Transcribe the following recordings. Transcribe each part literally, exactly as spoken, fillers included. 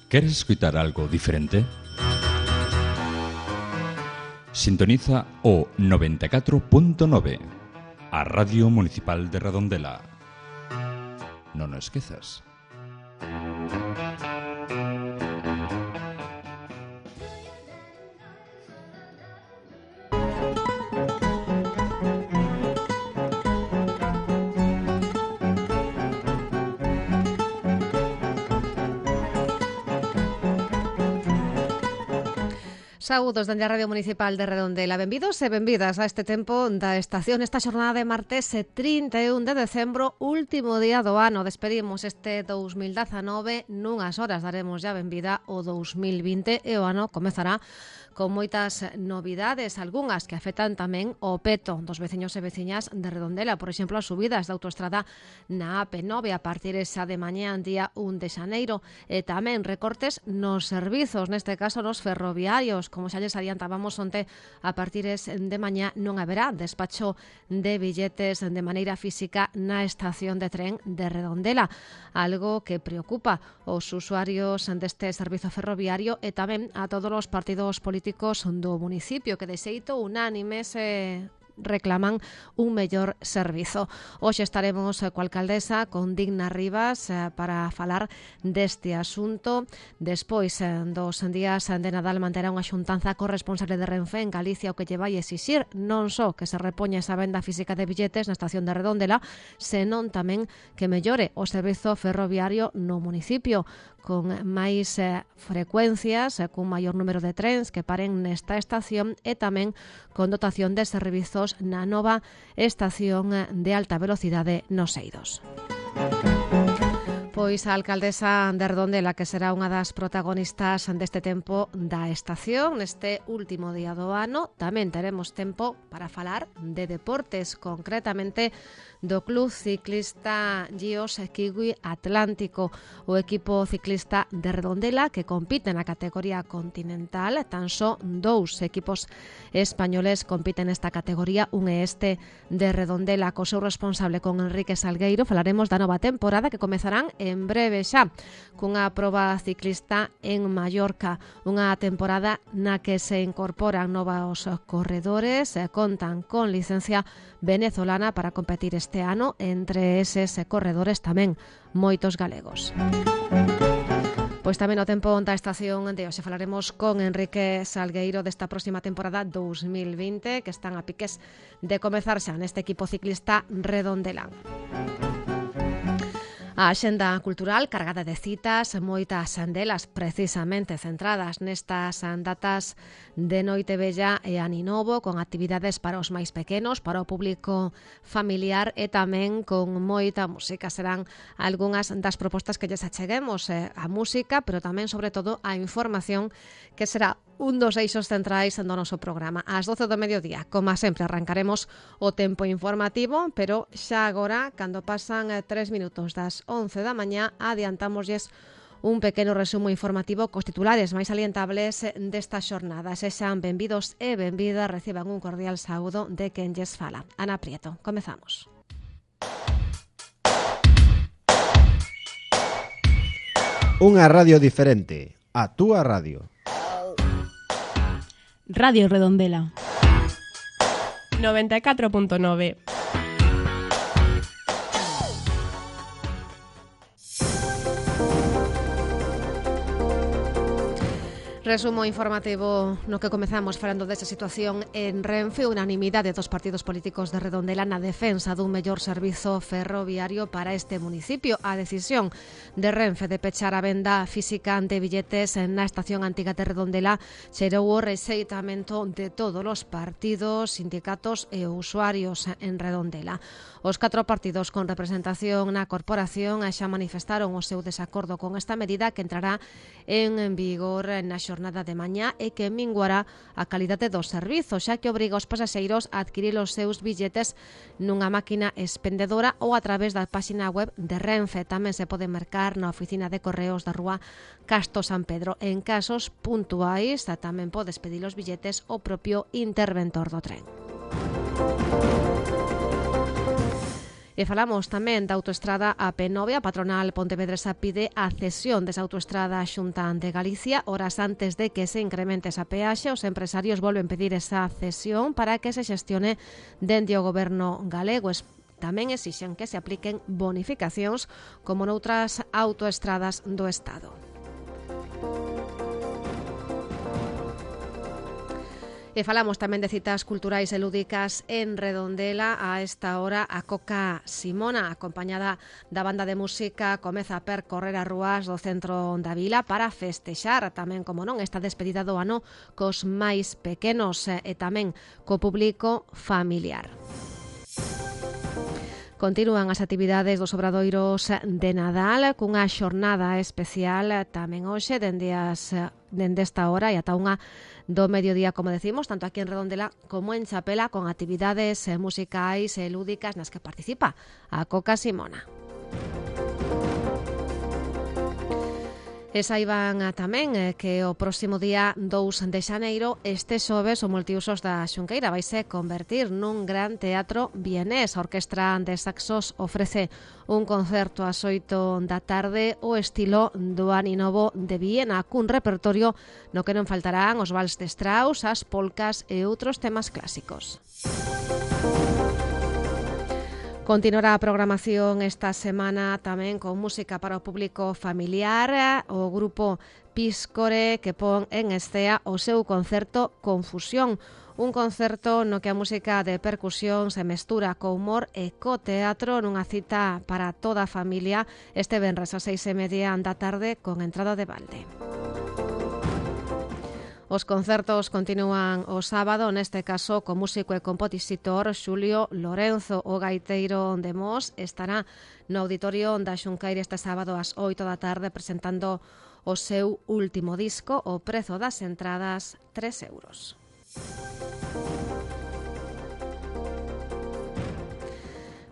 ¿Queres escuchar algo diferente? Sintoniza o noventa e catro punto nove, a Radio Municipal de Redondela. Non o esquezas. Saúdos dende a Radio Municipal de Redondela. Benvidos e benvidas a este tempo da estación, esta xornada de martes trinta e un de decembro, último día do ano. Despedimos este dous mil dezanove, nunhas horas daremos ya benvida o dous mil vinte e o ano comezará con moitas novidades, algunhas que afectan tamén o peto dos veciños e veciñas de Redondela. Por exemplo, as subidas da autoestrada na A P nove a partir esa de mañá día un de xaneiro, e tamén recortes nos servizos, neste caso nos ferroviarios. Como xa lles adiantábamos onte, a partir de mañá non haberá despacho de billetes de maneira física na estación de tren de Redondela, algo que preocupa os usuarios deste servizo ferroviario e tamén a todos os partidos políticos do municipio, que de xeito unánime se reclaman un mellor servizo. Hoxe estaremos coa alcaldesa, con Digna Rivas, para falar deste asunto. Despois dos días de Nadal manterá unha xuntanza corresponsable de Renfe en Galicia, o que lle vai exixir non só que se repoña esa venda física de billetes na estación de Redondela, senón tamén que mellore o servizo ferroviario no municipio, con máis eh, frecuencias, eh, cun maior número de trens que paren nesta estación e tamén con dotación de servizos na nova estación de alta velocidade nos Eidos. Pois a alcaldesa de Redondela, que será unha das protagonistas deste tempo da estación, neste último día do ano. Tamén teremos tempo para falar de deportes, concretamente do Club Ciclista Gios Kiwi Atlántico, o equipo ciclista de Redondela que compite na categoría continental. Tan só dous equipos españoles compiten nesta categoría, un é este de Redondela, co seu responsable, con Enrique Salgueiro. Falaremos da nova temporada que comezarán en breve xa, cunha proba ciclista en Mallorca, unha temporada na que se incorporan novos corredores, contan con licencia venezolana para competir este ano, entre eses corredores tamén moitos galegos. Pois tamén o tempo da estación de hoxe falaremos con Enrique Salgueiro desta próxima temporada dous mil vinte, que están a piques de comezar xa neste equipo ciclista redondelán. A axenda cultural cargada de citas, moitas delas precisamente centradas nestas datas de Noite Vella e Aninovo, con actividades para os máis pequenos, para o público familiar e tamén con moita música. Serán algunhas das propostas que lles acheguemos, eh, a música, pero tamén, sobre todo, a información, que será un dos eixos centrais do noso programa. Ás doce do mediodía, como sempre, arrancaremos o tempo informativo, pero xa agora, cando pasan tres minutos das once da mañá, adiantámoslles un pequeno resumo informativo cos titulares máis salientables desta xornada. Sexan benvidos e benvidas, reciban un cordial saúdo de quen lles fala. Ana Prieto, comezamos. Unha radio diferente, a túa radio. Radio Redondela noventa e catro punto nove. Resumo informativo no que comezamos falando desta situación en Renfe. Unanimidade dos partidos políticos de Redondela na defensa dun mellor servizo ferroviario para este municipio. A decisión de Renfe de pechar a venda física de billetes na estación antiga de Redondela xerou o rexeitamento de todos os partidos, sindicatos e usuarios en Redondela. Os catro partidos con representación na corporación xa manifestaron o seu desacordo con esta medida, que entrará en vigor na xornada de mañá e que minguará a calidade do servizo, xa que obriga os pasaxeiros a adquirir os seus billetes nunha máquina expendedora ou a través da páxina web de Renfe. Tamén se pode mercar na oficina de correos da rúa Casto San Pedro. En casos puntuais tamén podes pedir os billetes ao propio interventor do tren. E falamos tamén da autoestrada A P nove. A patronal pontevedresa pide a cesión desa autoestrada á Xunta de Galicia. Horas antes de que se incremente esa peaxe, os empresarios volven pedir esa cesión para que se xestione dende o goberno galego. Tamén exixen que se apliquen bonificacións como noutras autoestradas do Estado. E falamos tamén de citas culturais e lúdicas en Redondela. A esta hora a Coca Simona, acompañada da banda de música, comeza a percorrer as rúas do centro da vila para festexar tamén, como non, esta despedida do ano cos máis pequenos e tamén co público familiar. Continúan as actividades dos obradoiros de Nadal cunha xornada especial tamén hoxe dende, as, dende esta hora e ata unha do mediodía, como decimos, tanto aquí en Redondela como en Chapela, con actividades musicais e lúdicas nas que participa a Coca Simona. E saiban tamén que o próximo día dous de xaneiro, este xoves, o Multiusos da Xunqueira vaise convertir nun gran teatro vienés. A Orquestra de Saxos ofrece un concerto ás oito da tarde o estilo do Aninovo de Viena, cun repertorio no que non faltarán os vals de Strauss, as polcas e outros temas clásicos. Continuará a programación esta semana tamén con música para o público familiar. O grupo Piscore que pon en escea o seu concerto Confusión, un concerto no que a música de percusión se mestura co humor e co teatro nunha cita para toda a familia este venres a seis e media da tarde con entrada de balde. Os concertos continúan o sábado, neste caso co músico e compositor Xulio Lorenzo. O gaiteiro de Mos estará no auditorio da Xunqueira este sábado ás oito da tarde presentando o seu último disco. O prezo das entradas, tres euros.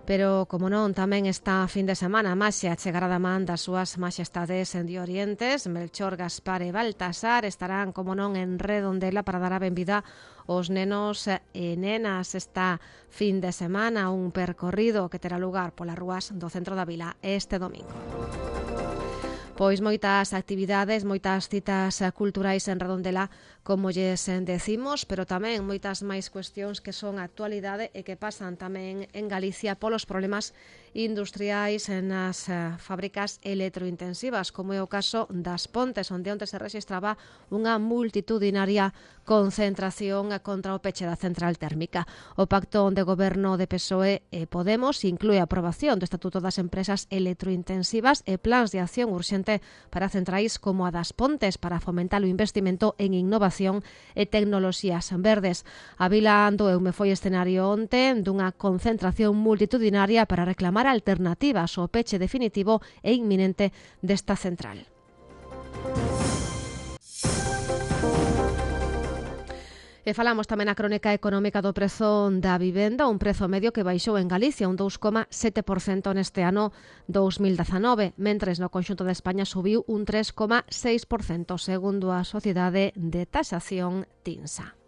Pero, como non, tamén está fin de semana a Maxia chegará da man das súas maxestades de Orientes. Melchor, Gaspar e Baltasar estarán, como non, en Redondela para dar a benvida aos nenos e nenas esta fin de semana, un percorrido que terá lugar polas rúas do centro da vila este domingo. Pois moitas actividades, moitas citas culturais en Redondela, como lles decimos, pero tamén moitas máis cuestións que son actualidade e que pasan tamén en Galicia polos problemas industriais nas fábricas electrointensivas, como é o caso das Pontes, onde onte se rexistraba unha multitudinaria concentración contra o peche da central térmica. O pacto de goberno de P S O E e Podemos inclúe a aprobación do Estatuto das Empresas Electrointensivas e plans de acción urxente para centrais como a das Pontes para fomentar o investimento en innovación e tecnoloxías verdes. A vila do Eume foi escenario onte dunha concentración multitudinaria para reclamar alternativas ao peche definitivo e inminente desta central. E falamos tamén na crónica económica do prezo da vivenda, un prezo medio que baixou en Galicia un dous coma sete por cento neste ano dous mil dezanove, mentres no conxunto de España subiu un tres coma seis por cento, segundo a Sociedade de Taxación TINSA.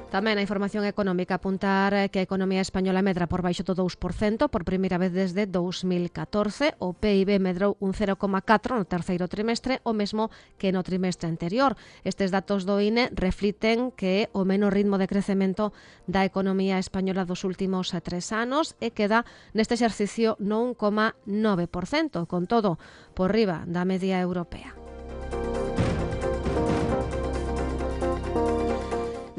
Tamén a información económica apuntar que a economía española medra por baixo do dous por cento por primeira vez desde dous mil catorce. O P I B medrou un cero coma catro no terceiro trimestre, o mesmo que no trimestre anterior. Estes datos do I N E refliten que é o menor ritmo de crecemento da economía española dos últimos tres anos e queda neste exercicio no un coma nove por cento, con todo por riba da media europea.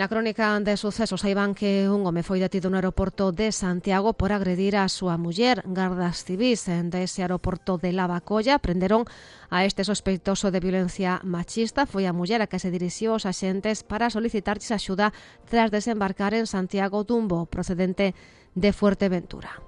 Na crónica de sucesos saiban que un home foi detido no aeroporto de Santiago por agredir a súa muller. Gardas civís dese aeroporto de Lavacolla prenderon a este sospeitoso de violencia machista. Foi a muller a que se dirixiu aos axentes para solicitarlles axuda tras desembarcar en Santiago dun voo procedente de Fuerteventura.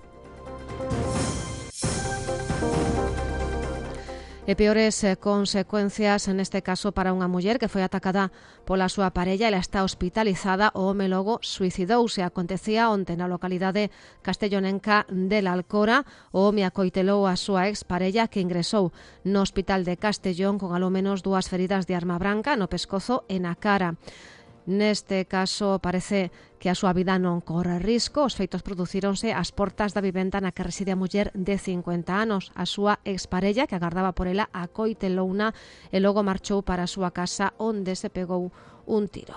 E peores eh, consecuencias neste caso para unha muller que foi atacada pola súa parella. Ela está hospitalizada. O home logo suicidouse. Acontecía onte na localidade castellonenca de La Alcora. O home acoitelou a súa exparella que ingresou no hospital de Castellón con alo menos dúas feridas de arma branca no pescozo e na cara. Neste caso parece que a súa vida non corre risco. Os feitos producíronse ás portas da vivenda na que reside a muller de cincuenta anos. A súa exparella, que agardaba por ela, acoitelouna e logo marchou para a súa casa onde se pegou un tiro.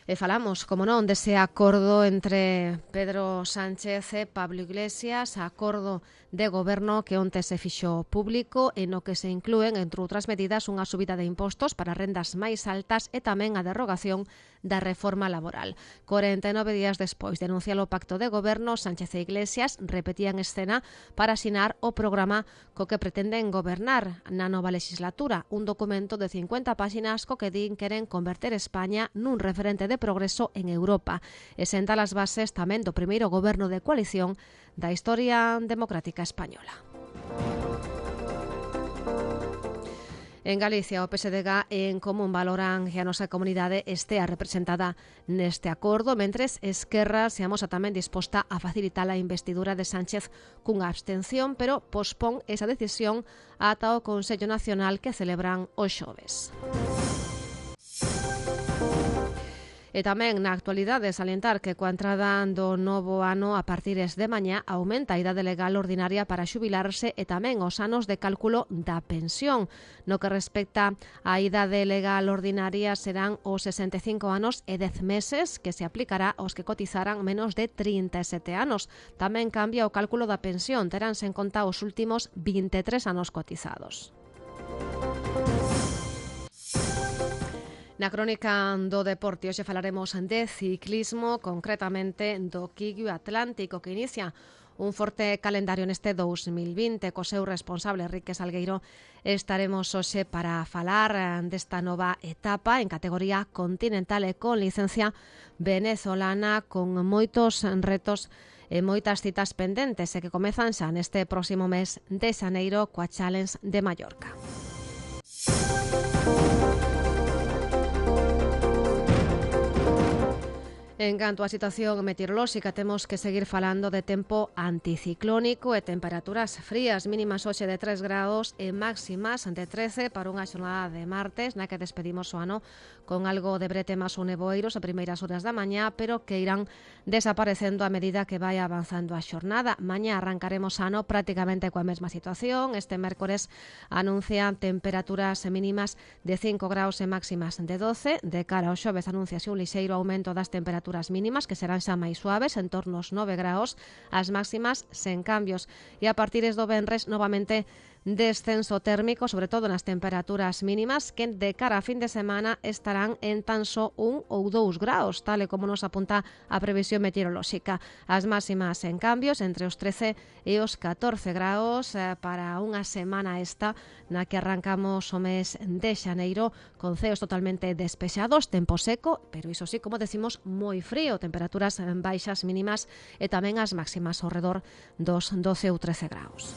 E falamos, como non, dese acordo entre Pedro Sánchez e Pablo Iglesias, acordo de goberno que onte se fixo público e no que se inclúen, entre outras medidas, unha subida de impostos para rendas máis altas e tamén a derrogación da reforma laboral. corenta e nove días despois de anunciar o pacto de goberno, Sánchez e Iglesias repetían escena para asinar o programa co que pretenden gobernar na nova legislatura, un documento de cincuenta páxinas co que din queren converter España nun referente de progreso en Europa e sentar as bases tamén do primeiro goberno de coalición da historia democrática española. En Galicia, o P S D G e En Común valoran que a nosa comunidade estea representada neste acordo, mentres Esquerra se amosa tamén disposta a facilitar a investidura de Sánchez cunha abstención, pero pospón esa decisión ata o Consello Nacional que celebran os xoves. E tamén na actualidade salientar que coa entrada do novo ano a partires de mañá aumenta a idade legal ordinaria para xubilarse e tamén os anos de cálculo da pensión. No que respecta á idade legal ordinaria serán os sesenta e cinco anos e dez meses que se aplicará aos que cotizaran menos de trinta e sete anos. Tamén cambia o cálculo da pensión, teránse en conta os últimos vinte e tres anos cotizados. Na crónica do deporte hoxe falaremos de ciclismo, concretamente do Quillo Atlántico, que inicia un forte calendario neste dous mil vinte. Co seu responsable, Enrique Salgueiro, estaremos hoxe para falar desta nova etapa en categoría continental e con licencia venezolana, con moitos retos e moitas citas pendentes e que comezan xa neste próximo mes de xaneiro coa Challenge de Mallorca. En canto á situación meteorolóxica, temos que seguir falando de tempo anticiclónico e temperaturas frías, mínimas hoxe de tres grados e máximas de trece para unha xornada de martes na que despedimos o ano con algo de bretemas ou nevoeiros a primeiras horas da mañá, pero que irán desaparecendo a medida que vai avanzando a xornada. Mañá arrancaremos ano prácticamente coa mesma situación. Este mércores anuncian temperaturas mínimas de cinco graus e máximas de doce. De cara ao xoves anunciase un lixeiro aumento das temperaturas mínimas que serán xa máis suaves, en torno aos nove graus, as máximas sen cambios. E a partires do venres, novamente descenso térmico, sobre todo nas temperaturas mínimas, que de cara a fin de semana estarán en tan só un ou dous graus, tal e como nos apunta a previsión meteorolóxica. As máximas en cambios entre os trece e os catorce graus eh, para unha semana esta na que arrancamos o mes de xaneiro con ceos totalmente despexados, tempo seco, pero iso sí, como decimos, moi frío, temperaturas baixas mínimas e tamén as máximas ao redor dos doce ou trece graus.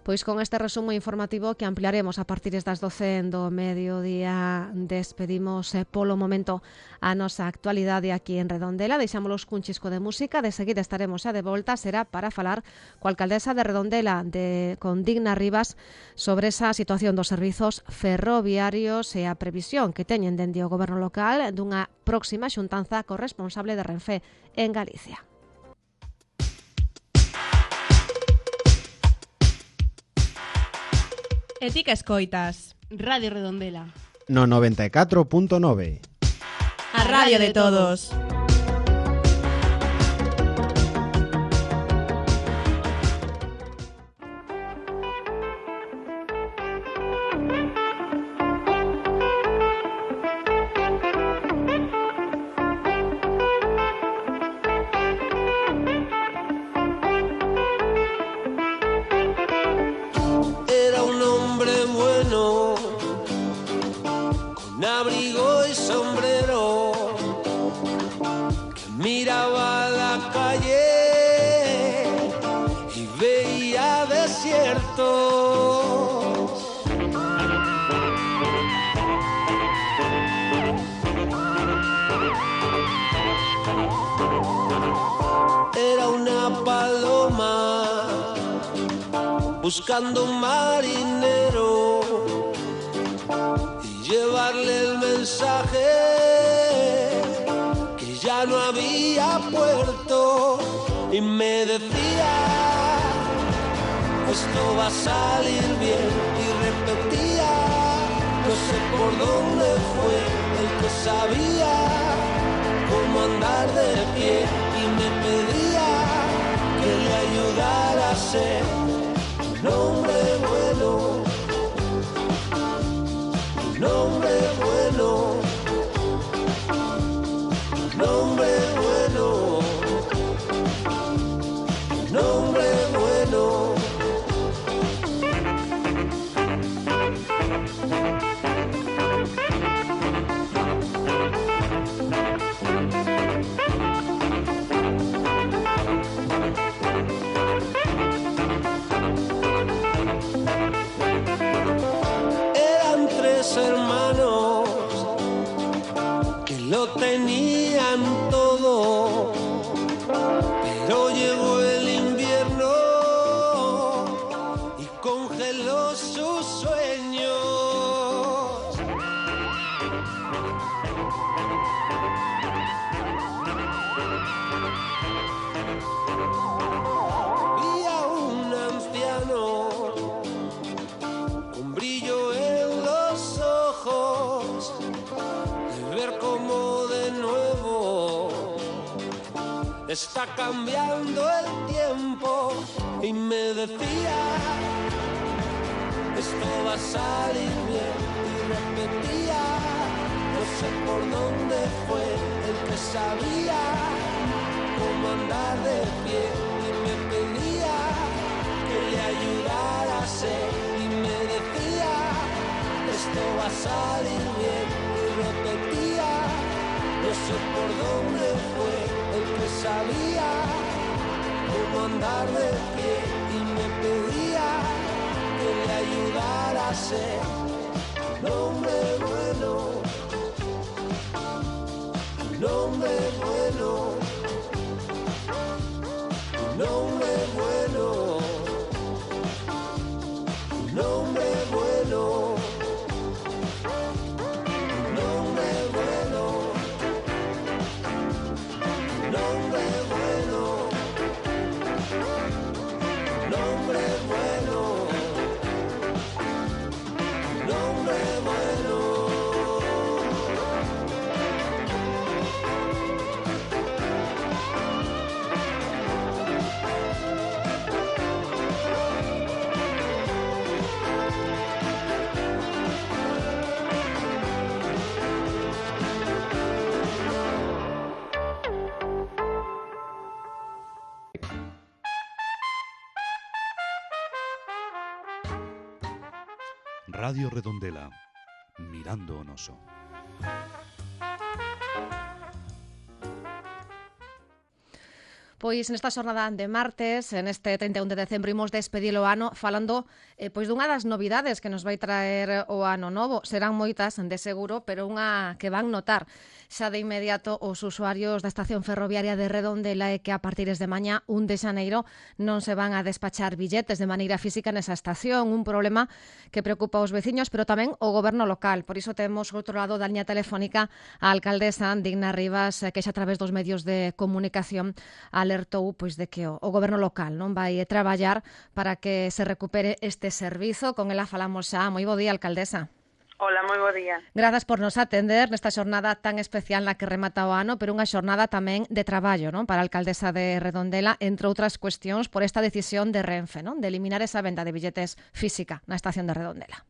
Pois con este resumo informativo que ampliaremos a partir das doce do mediodía, despedimos eh, polo momento a nosa actualidade aquí en Redondela. Deixámolos cun chisco de música, de seguida estaremos xa de volta, será para falar coa alcaldesa de Redondela, de, con Digna Rivas, sobre esa situación dos servizos ferroviarios e a previsión que teñen dende o goberno local dunha próxima xuntanza corresponsable de Renfe en Galicia. E ti que escoitas? Radio Redondela. No noventa e catro punto nove. A radio de todos. Abrigo y sombrero que miraba la calle y veía desiertos. Era una paloma buscando un marinero y llevarle el mensaje que ya no había puerto, y me decía, esto va a salir bien, y repetía, no sé por dónde fue el que sabía cómo andar de pie, y me pedía que le ayudara a ser un hombre bueno, un hombre bueno, un hombre bueno, un hombre bueno. Eran tres hermanos que lo tenían todo, pero llegó el invierno y congeló sus sueños. Vi a un anciano con brillo en los ojos, de ver cómo de nuevo está cambiando el tiempo, y me decía, esto va a salir bien, y repetía, no sé por dónde fue el que sabía cómo andar de pie, y me pedía que le ayudara a ser, y me decía, esto va a salir bien, y repetía, no sé por dónde fue el que sabía cómo andar de pie, y me pedía que le ayudara a ser un hombre bueno, un hombre bueno, un hombre bueno, un hombre bueno, un hombre bueno, un hombre bueno, un hombre bueno, un hombre bueno. Radio Redondela, Mirando o Noso. Pois nesta xornada de martes, en este trinta e un de decembro, imos despedir o ano falando eh, pois dunha das novidades que nos vai traer o ano novo. Serán moitas, de seguro, pero unha que van notar xa de inmediato os usuarios da estación ferroviaria de Redondela é que a partir de mañá, un de xaneiro, non se van a despachar billetes de maneira física nesa estación, un problema que preocupa aos veciños, pero tamén o goberno local. Por iso temos, outro lado da liña telefónica, a alcaldesa Digna Rivas, que xa a través dos medios de comunicación alertou pois de que o, o goberno local non vai traballar para que se recupere este servizo. Con ela falamos xa. Moi bo día, alcaldesa. Hola, moi bo día. Grazas por nos atender nesta xornada tan especial na que remata o ano, pero unha xornada tamén de traballo, non, para a alcaldesa de Redondela, entre outras cuestións, por esta decisión de Renfe, non, de eliminar esa venda de billetes física na estación de Redondela.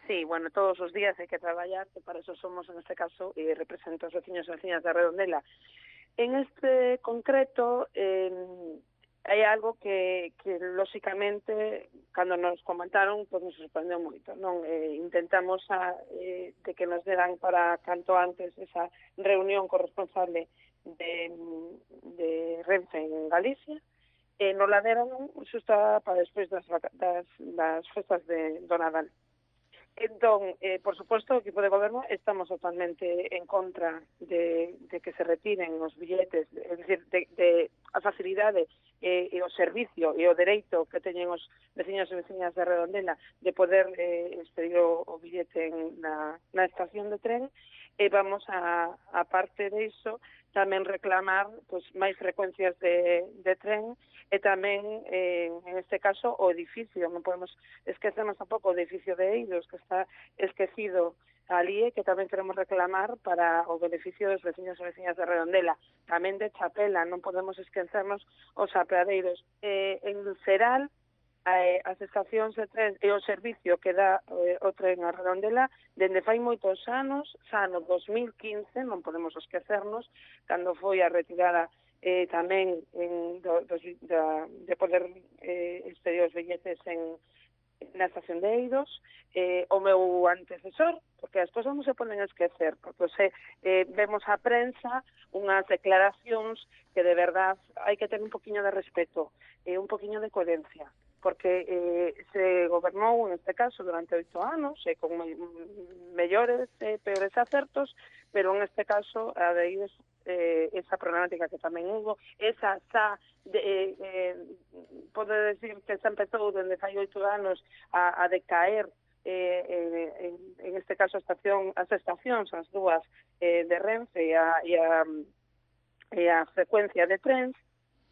Sí, bueno, todos os días hai que traballar, que para eso somos, en este caso, e represento os veciños e veciñas de Redondela. En este concreto, eh, hai algo que, que lóxicamente, cando nos comentaron, pues nos sorprendeu moito, non? Eh, intentamos a, eh, de que nos deran para canto antes esa reunión corresponsable de, de Renfe en Galicia, e nos la deron xusta para despois das, das, das festas de do Nadal. Entón, eh, por suposto, o equipo de goberno estamos totalmente en contra de, de que se retiren os billetes, é dicir, de, de a facilidade e, e o servicio e o dereito que teñen os veciños e veciñas de Redondela de poder eh, expedir o, o billete en, na, na estación de tren, e vamos a, a parte de iso, tamén reclamar pois, máis frecuencias de, de tren e tamén, eh, en este caso, o edificio. Non podemos esquecernos tampouco o edificio de Eidos, que está esquecido ali, que tamén queremos reclamar para o beneficio dos veciños e veciñas de Redondela. Tamén de Chapela, non podemos esquecernos os apeadeiros. Eh, en Ceral, eh, as estacións de tren e o servicio que dá eh, o tren a Redondela dende fai moitos anos, xa no dos mil quince, non podemos esquecernos, cando foi a retirada eh, tamén en, do, dos, da, de poder eh, expedir os billetes en na estación de Eidos, eh, o meu antecesor, porque as cousas non se poden esquecer, porque se eh, vemos a prensa unhas declaracións que de verdad hai que ter un poquinho de respeto e eh, un poquinho de coherencia, porque eh, se gobernou, en este caso, durante oito anos, e eh, con me mellores e eh, peores acertos, pero en este caso, a de Eidos, eh, esa problemática que tamén hubo, esa xa, de, eh, eh, pode decir que xa empezou dende fai oito anos a, a decaer, eh, eh, en, en este caso, a estación, as estacións, as dúas eh, de Renfe e a, e, a, e a frecuencia de trens,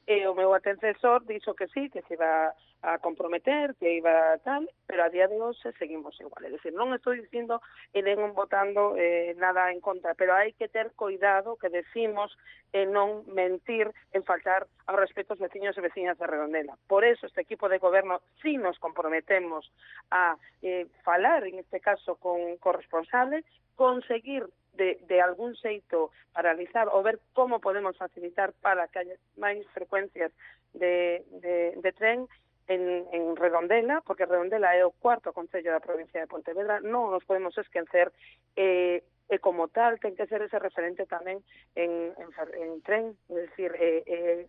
e o meu antecesor dixo que sí, que se iba a comprometer, que iba tal, pero a día de hoxe seguimos igual. É dicir, non estou dicindo e nen votando eh, nada en contra, pero hai que ter cuidado que decimos e eh, non mentir en faltar ao respeto aos veciños e veciñas de Redondela. Por eso este equipo de goberno sí nos comprometemos a eh, falar, en este caso, con corresponsables, conseguir de, de algún xeito paralizar ou ver como podemos facilitar para que haya máis frecuencias de, de, de tren en, en Redondela, porque Redondela é o cuarto concello da provincia de Pontevedra, non nos podemos esquecer, eh, e como tal ten que ser ese referente tamén en, en, en tren, é dicir, eh, eh,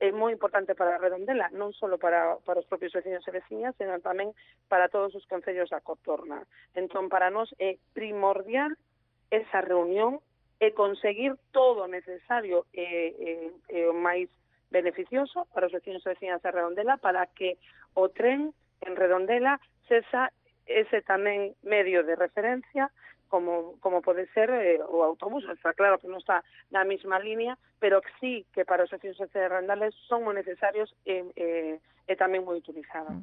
é moi importante para Redondela, non só para, para os propios veciños e veciñas, senón tamén para todos os concellos da contorna. Entón, para nós é primordial esa reunión e conseguir todo o necesario e, e, e o máis beneficioso para os veciños e veciñas de Redondela para que o tren en Redondela sexa ese tamén medio de referencia como, como pode ser eh, o autobús. Está claro que non está na mesma línea, pero que sí que para os veciños e veciñas de Redondela son moi necesarios e, e, e tamén moi utilizados.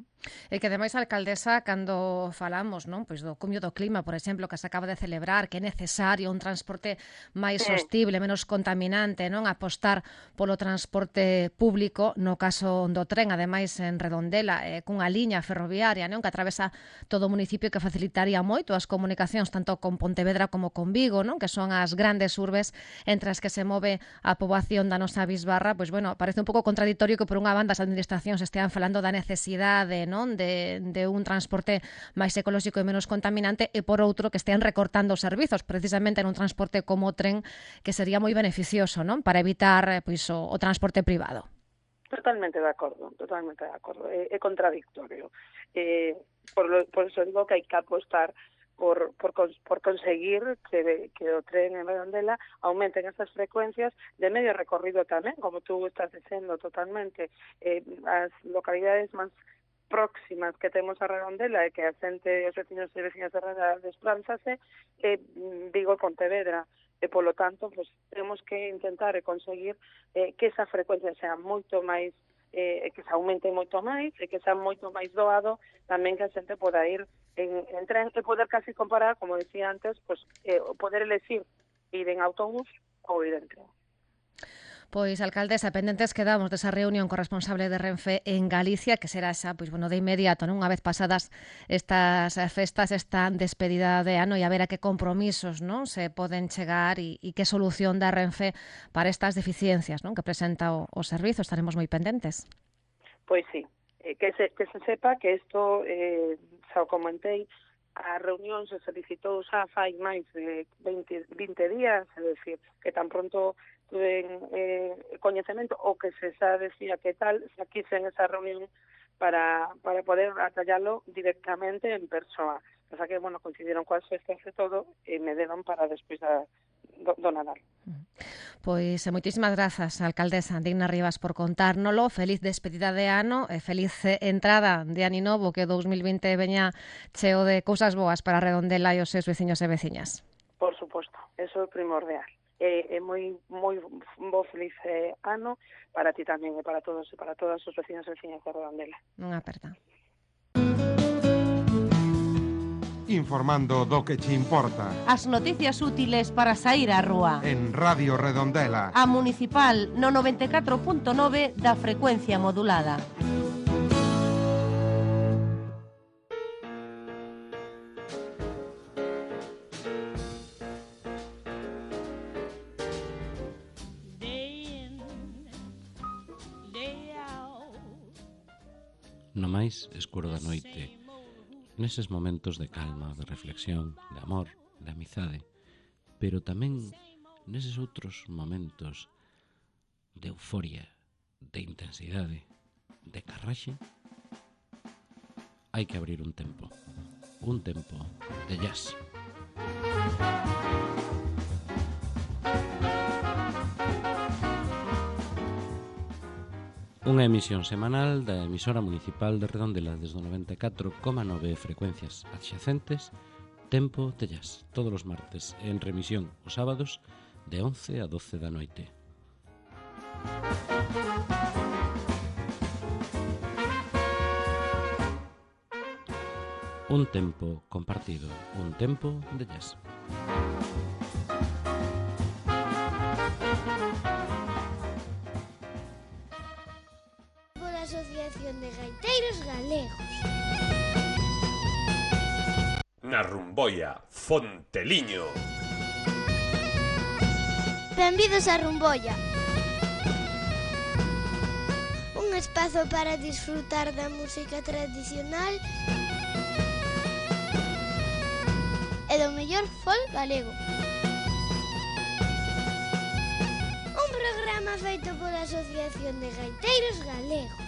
E que ademais, alcaldesa, cando falamos, non, pois do cumio do clima, por exemplo, que se acaba de celebrar, que é necesario un transporte máis Sí. sostible, menos contaminante, non, apostar polo transporte público, no caso do tren, ademais en Redondela, eh, cunha liña ferroviaria, non, que atravesa todo o municipio, que facilitaría moito as comunicacións tanto con Pontevedra como con Vigo, non, que son as grandes urbes entre as que se move a poboación da nosa bisbarra. Pois, bueno, parece un pouco contradictorio que por unha banda as administracións estean falando da necesidade, non, de, de un transporte máis ecolóxico e menos contaminante, e por outro que estean recortando os servizos precisamente nun transporte como o tren, que sería moi beneficioso, non, para evitar pois o, o transporte privado. Totalmente de acordo, totalmente de acordo. É, é contradictorio. Eh, por, lo, por eso digo que hai que apostar por, por, por conseguir que, que o tren en Redondela aumenten esas frecuencias de medio recorrido tamén, como tú estás dicendo totalmente. Eh, as localidades máis próximas que temos a Redondela e que a xente, os veciños e veciñas de Redondela desplázase, eh, Vigo e Pontevedra. E, polo tanto, pues, temos que intentar e conseguir eh, que esa frecuencia sea moito máis, eh, que se aumente moito máis, e que sea moito máis doado, tamén que a xente poda ir en, en tren, e poder casi comparar, como decía antes, pues, eh, poder elegir ir en autobús ou ir en tren. Pois, alcaldesa, pendentes quedamos desa reunión co responsable de Renfe en Galicia, que será xa, pois, bueno, de inmediato, non, unha vez pasadas estas festas, esta despedida de ano, e a ver a que compromisos, non, se poden chegar e, e que solución da Renfe para estas deficiencias, non, que presenta o, o servizo. Estaremos moi pendentes. Pois sí, eh, que, se, que se sepa que isto, eh, xa o comentei, a reunión se solicitou xa fai máis de veinte, vinte días, é dicir, que tan pronto tuven eh, coñecemento o que se xa decía que tal, xa quixen esa reunión para, para poder atallalo directamente en persoa. O sea que, bueno, coincidieron coas festas e todo, e me deron para despois da, do, do Nadal. Pois moitísimas grazas, alcaldesa Digna Rivas, por contárnolo. Feliz despedida de ano e feliz entrada de ano novo, que dous mil vinte veña cheo de cousas boas para Redondela e os seus veciños e veciñas. Por suposto, eso é primordial. É, é moi moi bo feliz eh, ano para ti tamén e para todos e para todas os vecinos e veciñas de Redondela. Unha aperta. Informando do que che importa. As noticias útiles para saír á rúa. En Radio Redondela. A Municipal no noventa e catro punto nove da frecuencia modulada. No máis escuro da noite, neses momentos de calma, de reflexión, de amor, de amizade, pero tamén neses outros momentos de euforia, de intensidade, de carraxe, hai que abrir un tempo, un tempo de jazz. Unha emisión semanal da emisora municipal de Redondela desde o noventa e catro coma nove frecuencias adxacentes, Tempo de Jazz, todos os martes, en remisión os sábados de once a doce da noite. Un tempo compartido, un tempo de jazz. Asociación de Gaiteiros Galegos. Na Rumboia, Fonteliño. Benvidos a Rumboia. Un espazo para disfrutar da música tradicional e do mellor folk galego. Un programa feito pola Asociación de Gaiteiros Galegos.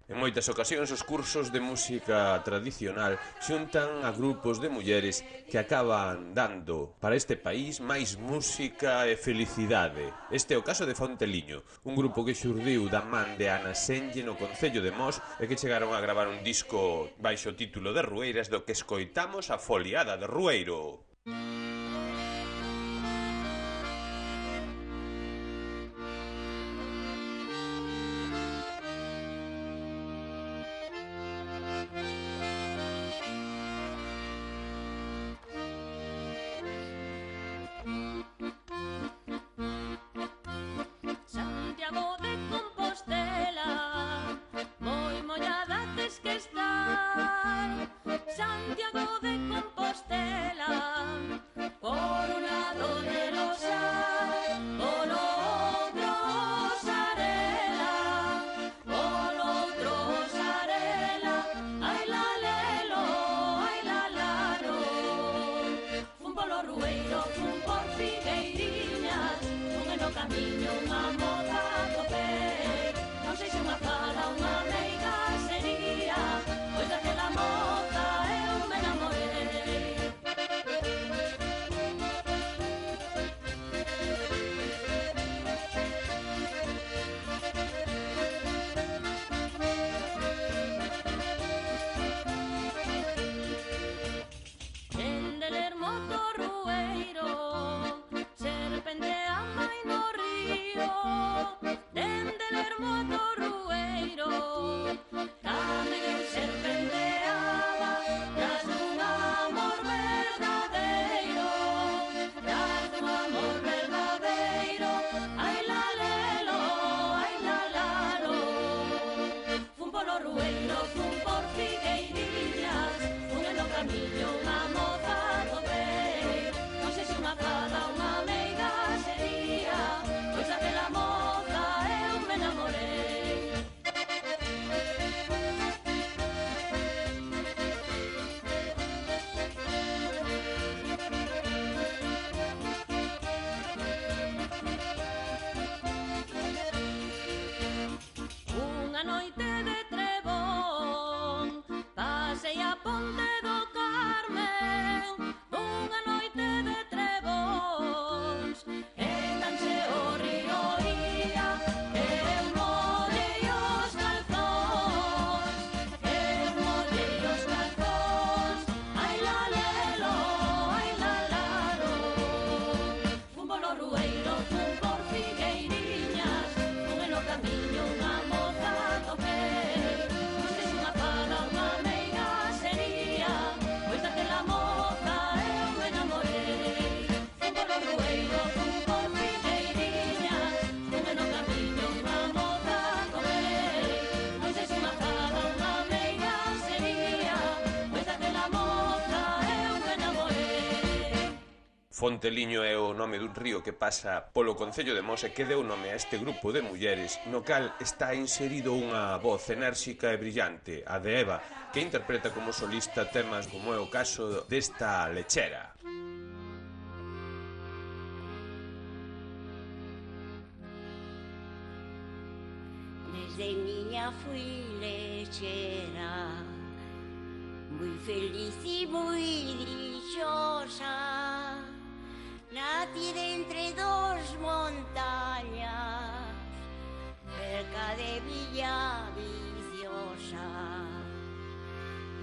En moitas ocasións os cursos de música tradicional xuntan a grupos de mulleres que acaban dando para este país máis música e felicidade. Este é o caso de Fonteliño, un grupo que xurdiu da man de Ana Senlle no concello de Mos e que chegaron a gravar un disco baixo título de Rueiras, do que escoitamos a Foliada de Rueiro. Serpente ama y no ríe. Fonteliño é o nome dun río que pasa polo concello de Mos e que deu nome a este grupo de mulleres, no cal está inserido unha voz enérxica e brillante, a de Eva, que interpreta como solista temas como é o caso desta Lechera. Desde niña fui lechera, muy feliz y muy dichosa. Nací de entre dos montañas, cerca de Villa Viciosa.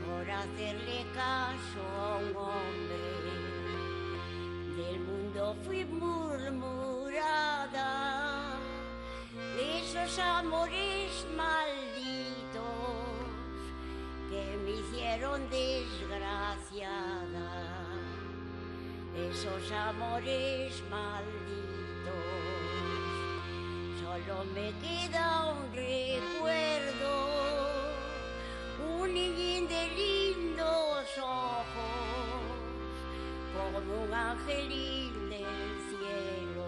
Por hacerle caso a un hombre, del mundo fui murmurada, de esos amores malditos que me hicieron desgraciada. Esos amores malditos, solo me queda un recuerdo, un niñín de lindos ojos, como un angelín del cielo.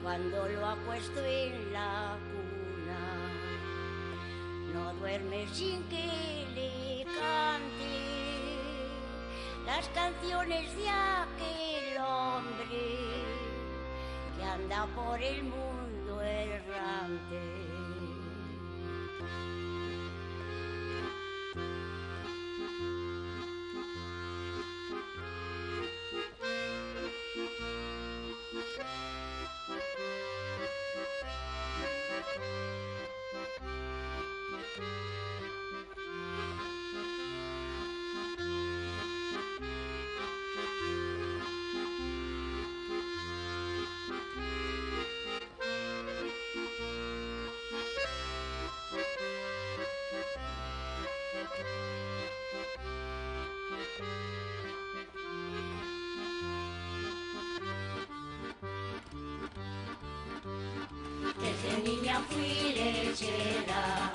Cuando lo acuesto en la cuna, no duerme sin que le cante las canciones de aquel hombre que anda por el mundo errante. Desde niña fui lechera,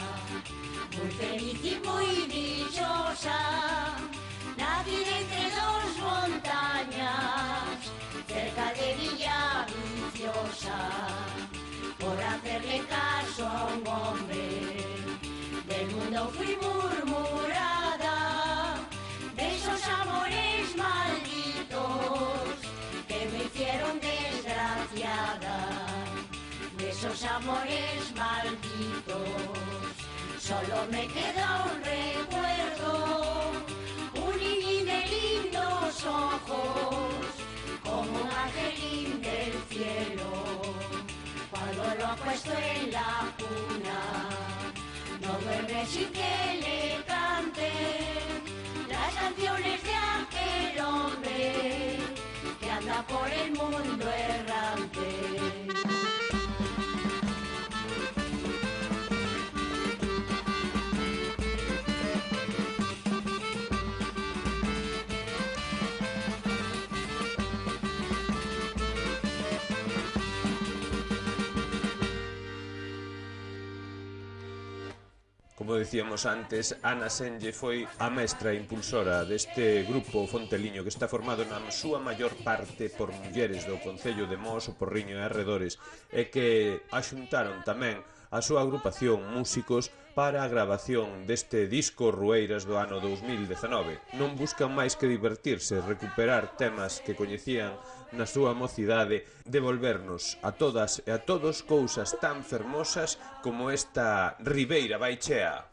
muy feliz y muy dichosa. Nací entre dos montañas, cerca de Villa Viciosa. Por hacerle caso a un hombre, del mundo fui murmurada, de esos amores malditos que me hicieron desgraciada. De esos amores malditos, solo me queda un recuerdo, un niñín de lindos ojos, como un angelín del cielo. Cuando lo acuesto en la cuna, no duerme sin que le canten las canciones de aquel hombre que anda por el mundo errante. Como dicíamos antes, Ana Senlle foi a mestra impulsora deste grupo Fonteliño que está formado na súa maior parte por mulleres do concello de Mos, o Porriño e arredores e que axuntaron tamén a súa agrupación músicos para a grabación deste disco Rueiras do ano dous mil dezenove. Non buscan máis que divertirse, recuperar temas que coñecían na súa mocidade, devolvernos a todas e a todos cousas tan fermosas como esta Ribeira Baixea.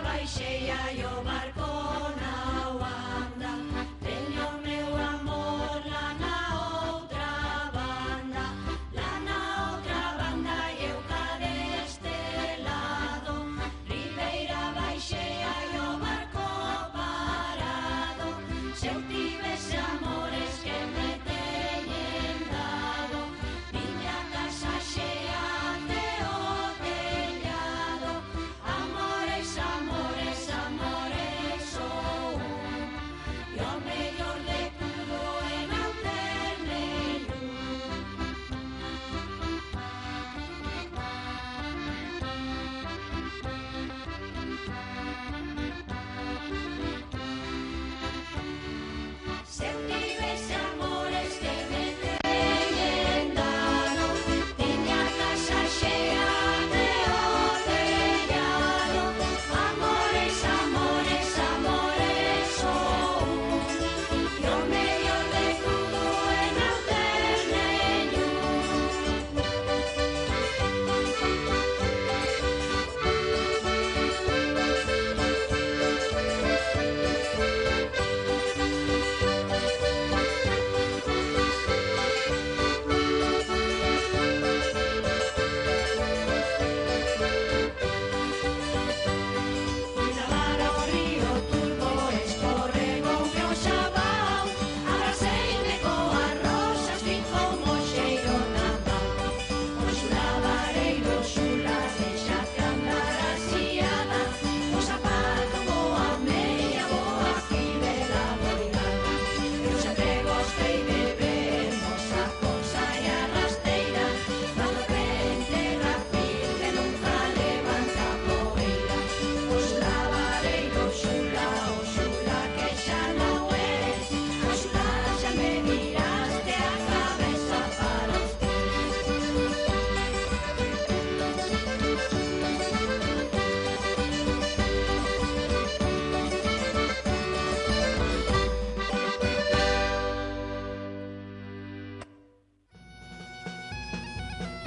Baixea e o barco na anda, teño meu amor lá na outra banda, lá na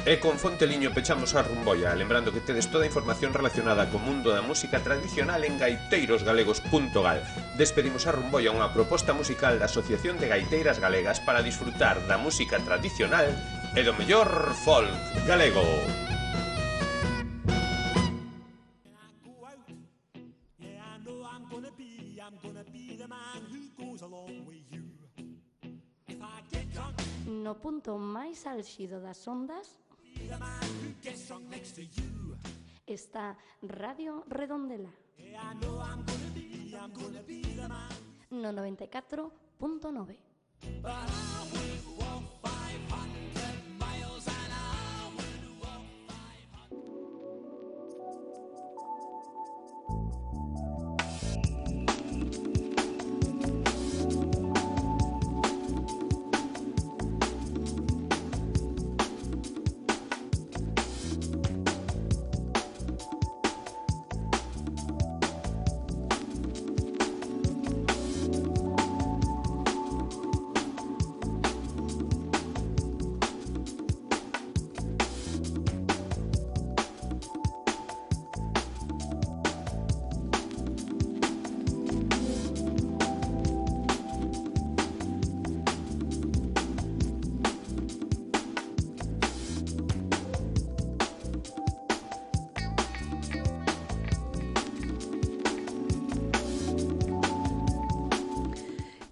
E con Fonteliño pechamos a rumboia, lembrando que tedes toda a información relacionada co mundo da música tradicional en gaiteiros galegos punto gal. Despedimos a rumboia, unha proposta musical da Asociación de Gaiteiras Galegas para disfrutar da música tradicional e do mellor folk galego. No punto máis álxido das ondas está Radio Redondela no noventa e catro punto nove.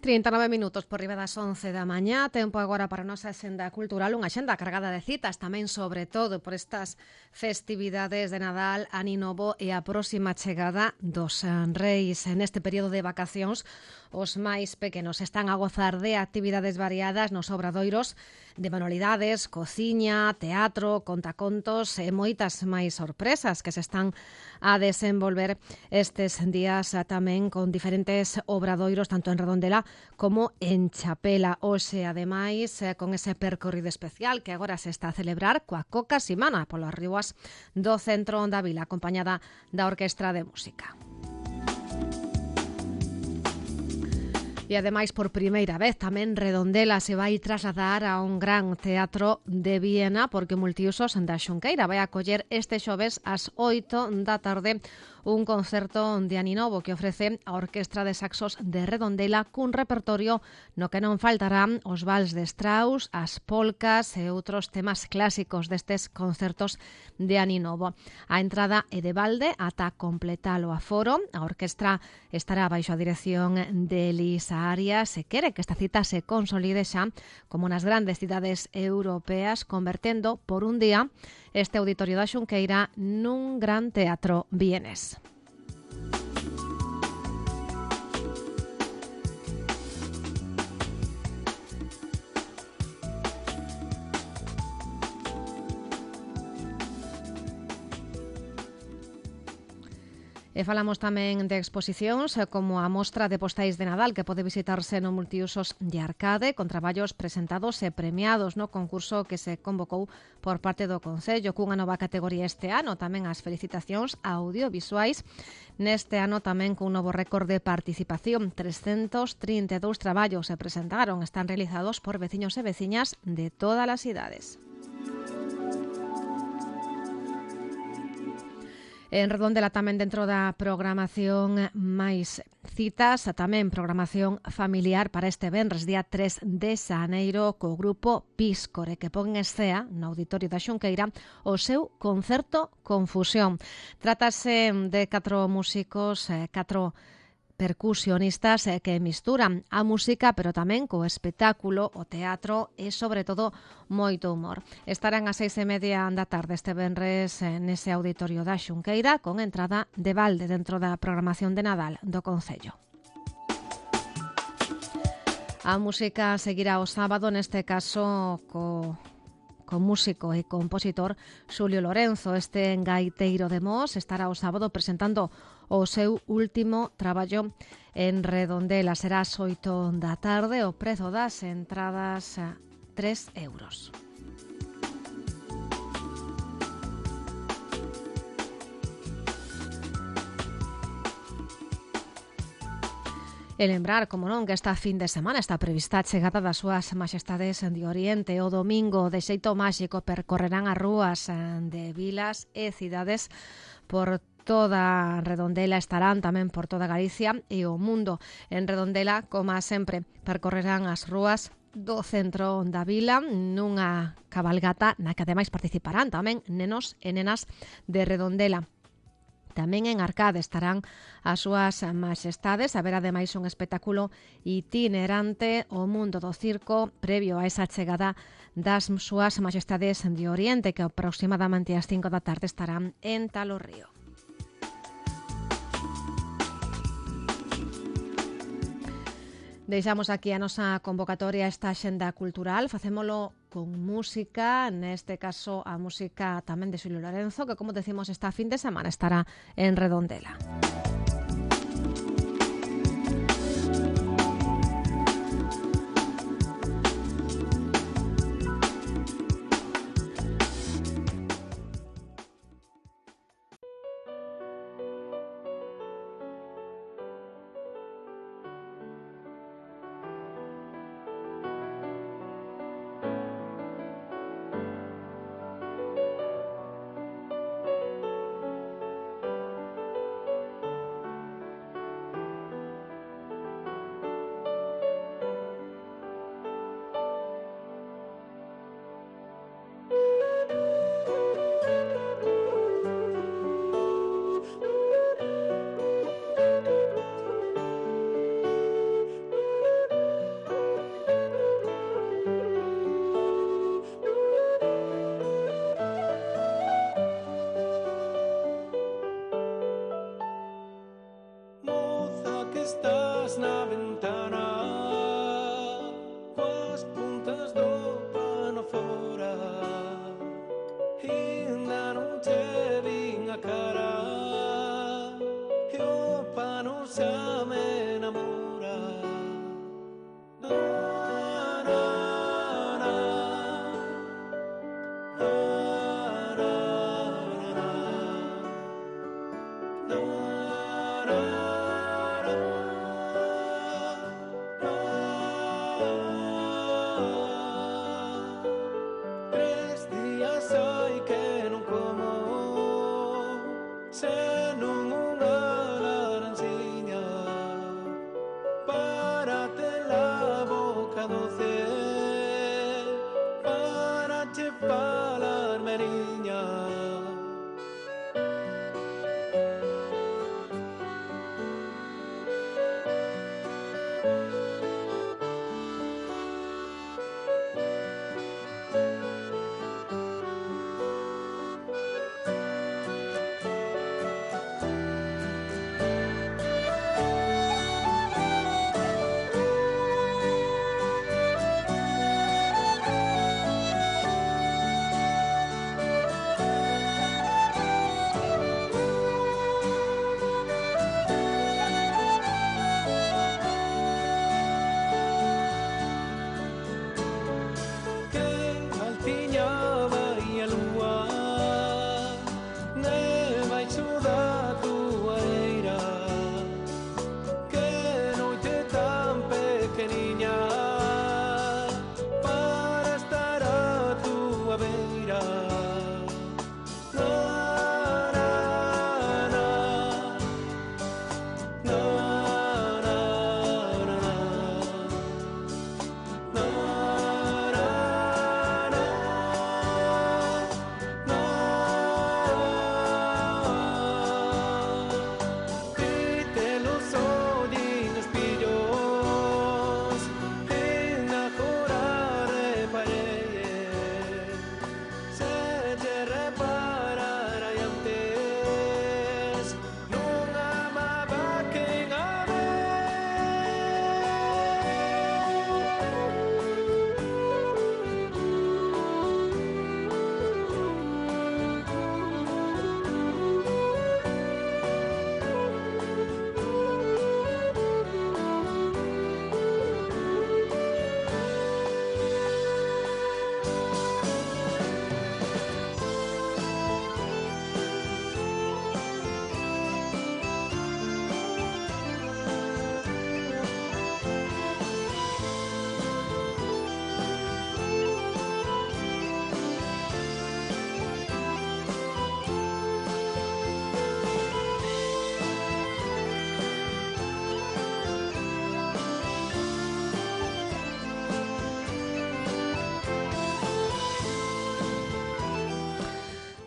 trinta e nove minutos por riba das once da mañá, tempo agora para a nosa axenda cultural, unha axenda cargada de citas tamén, sobre todo por estas festividades de Nadal, Ano Novo e a próxima chegada dos Reis. Neste período de vacacións, os máis pequenos están a gozar de actividades variadas nos obradoiros de manualidades, cociña, teatro, contacontos e moitas máis sorpresas que se están a desenvolver estes días tamén con diferentes obradoiros tanto en Redondela como en Chapela. Hoxe, ademais, con ese percorrido especial que agora se está a celebrar coa Coca Simana polas rúas do centro da vila, acompañada da Orquestra de Música. E ademais, por primeira vez, tamén Redondela se vai trasladar a un gran teatro de Viena porque Multiusos da Xunqueira vai acoller este xoves ás oito da tarde un concerto de Ano Novo que ofrece a Orquestra de Saxos de Redondela cun repertorio no que non faltarán os vals de Strauss, as polcas e outros temas clásicos destes concertos de Ano Novo. A entrada é de balde ata completar o aforo. A orquestra estará baixo a dirección de Elisa Arias e quere que esta cita se consolide xa como nas grandes cidades europeas, convertendo por un día este auditorio da Xunqueira nun gran teatro vienés. E falamos tamén de exposicións como a mostra de postais de Nadal que pode visitarse no Multiusos de Arcade con traballos presentados e premiados no concurso que se convocou por parte do Concello cunha nova categoría este ano, tamén as felicitacións audiovisuais neste ano tamén cun novo récord de participación. trescentos trinta e dous traballos se presentaron, están realizados por veciños e veciñas de todas as idades. En Redondela tamén dentro da programación máis citas, tamén programación familiar para este venres, día tres de xaneiro, co grupo Píscore, que pon en escea no Auditorio da Xunqueira o seu concerto Confusión. Trátase de catro músicos, catro percusionistas que misturan a música pero tamén co espectáculo, o teatro e sobre todo moito humor. Estarán ás seis e media da tarde este venres nese Auditorio da Xunqueira con entrada de balde dentro da programación de Nadal do Concello. A música seguirá o sábado, neste caso co con músico e compositor Xulio Lorenzo. Este gaiteiro de Mos estará o sábado presentando o seu último traballo en Redondela. Será ás oito da tarde, o prezo das entradas tres euros. E lembrar, como non, que esta fin de semana está prevista a chegada das súas majestades de Oriente. O domingo, de xeito máxico, percorrerán as rúas de vilas e cidades por toda Redondela, estarán tamén por toda Galicia e o mundo. En Redondela, como sempre, percorrerán as rúas do centro da vila nunha cabalgata na que ademais participarán tamén nenos e nenas de Redondela. Tamén en Arcade estarán as súas majestades. Haberá ademais un espectáculo itinerante, o mundo do circo, previo a esa chegada das súas majestades de Oriente, que aproximadamente ás cinco da tarde estarán en Talorrío. Deixamos aquí a nosa convocatoria, esta axenda cultural. Facémolo con música, neste caso a música tamén de Xulio Lorenzo, que, como decimos, esta fin de semana estará en Redondela.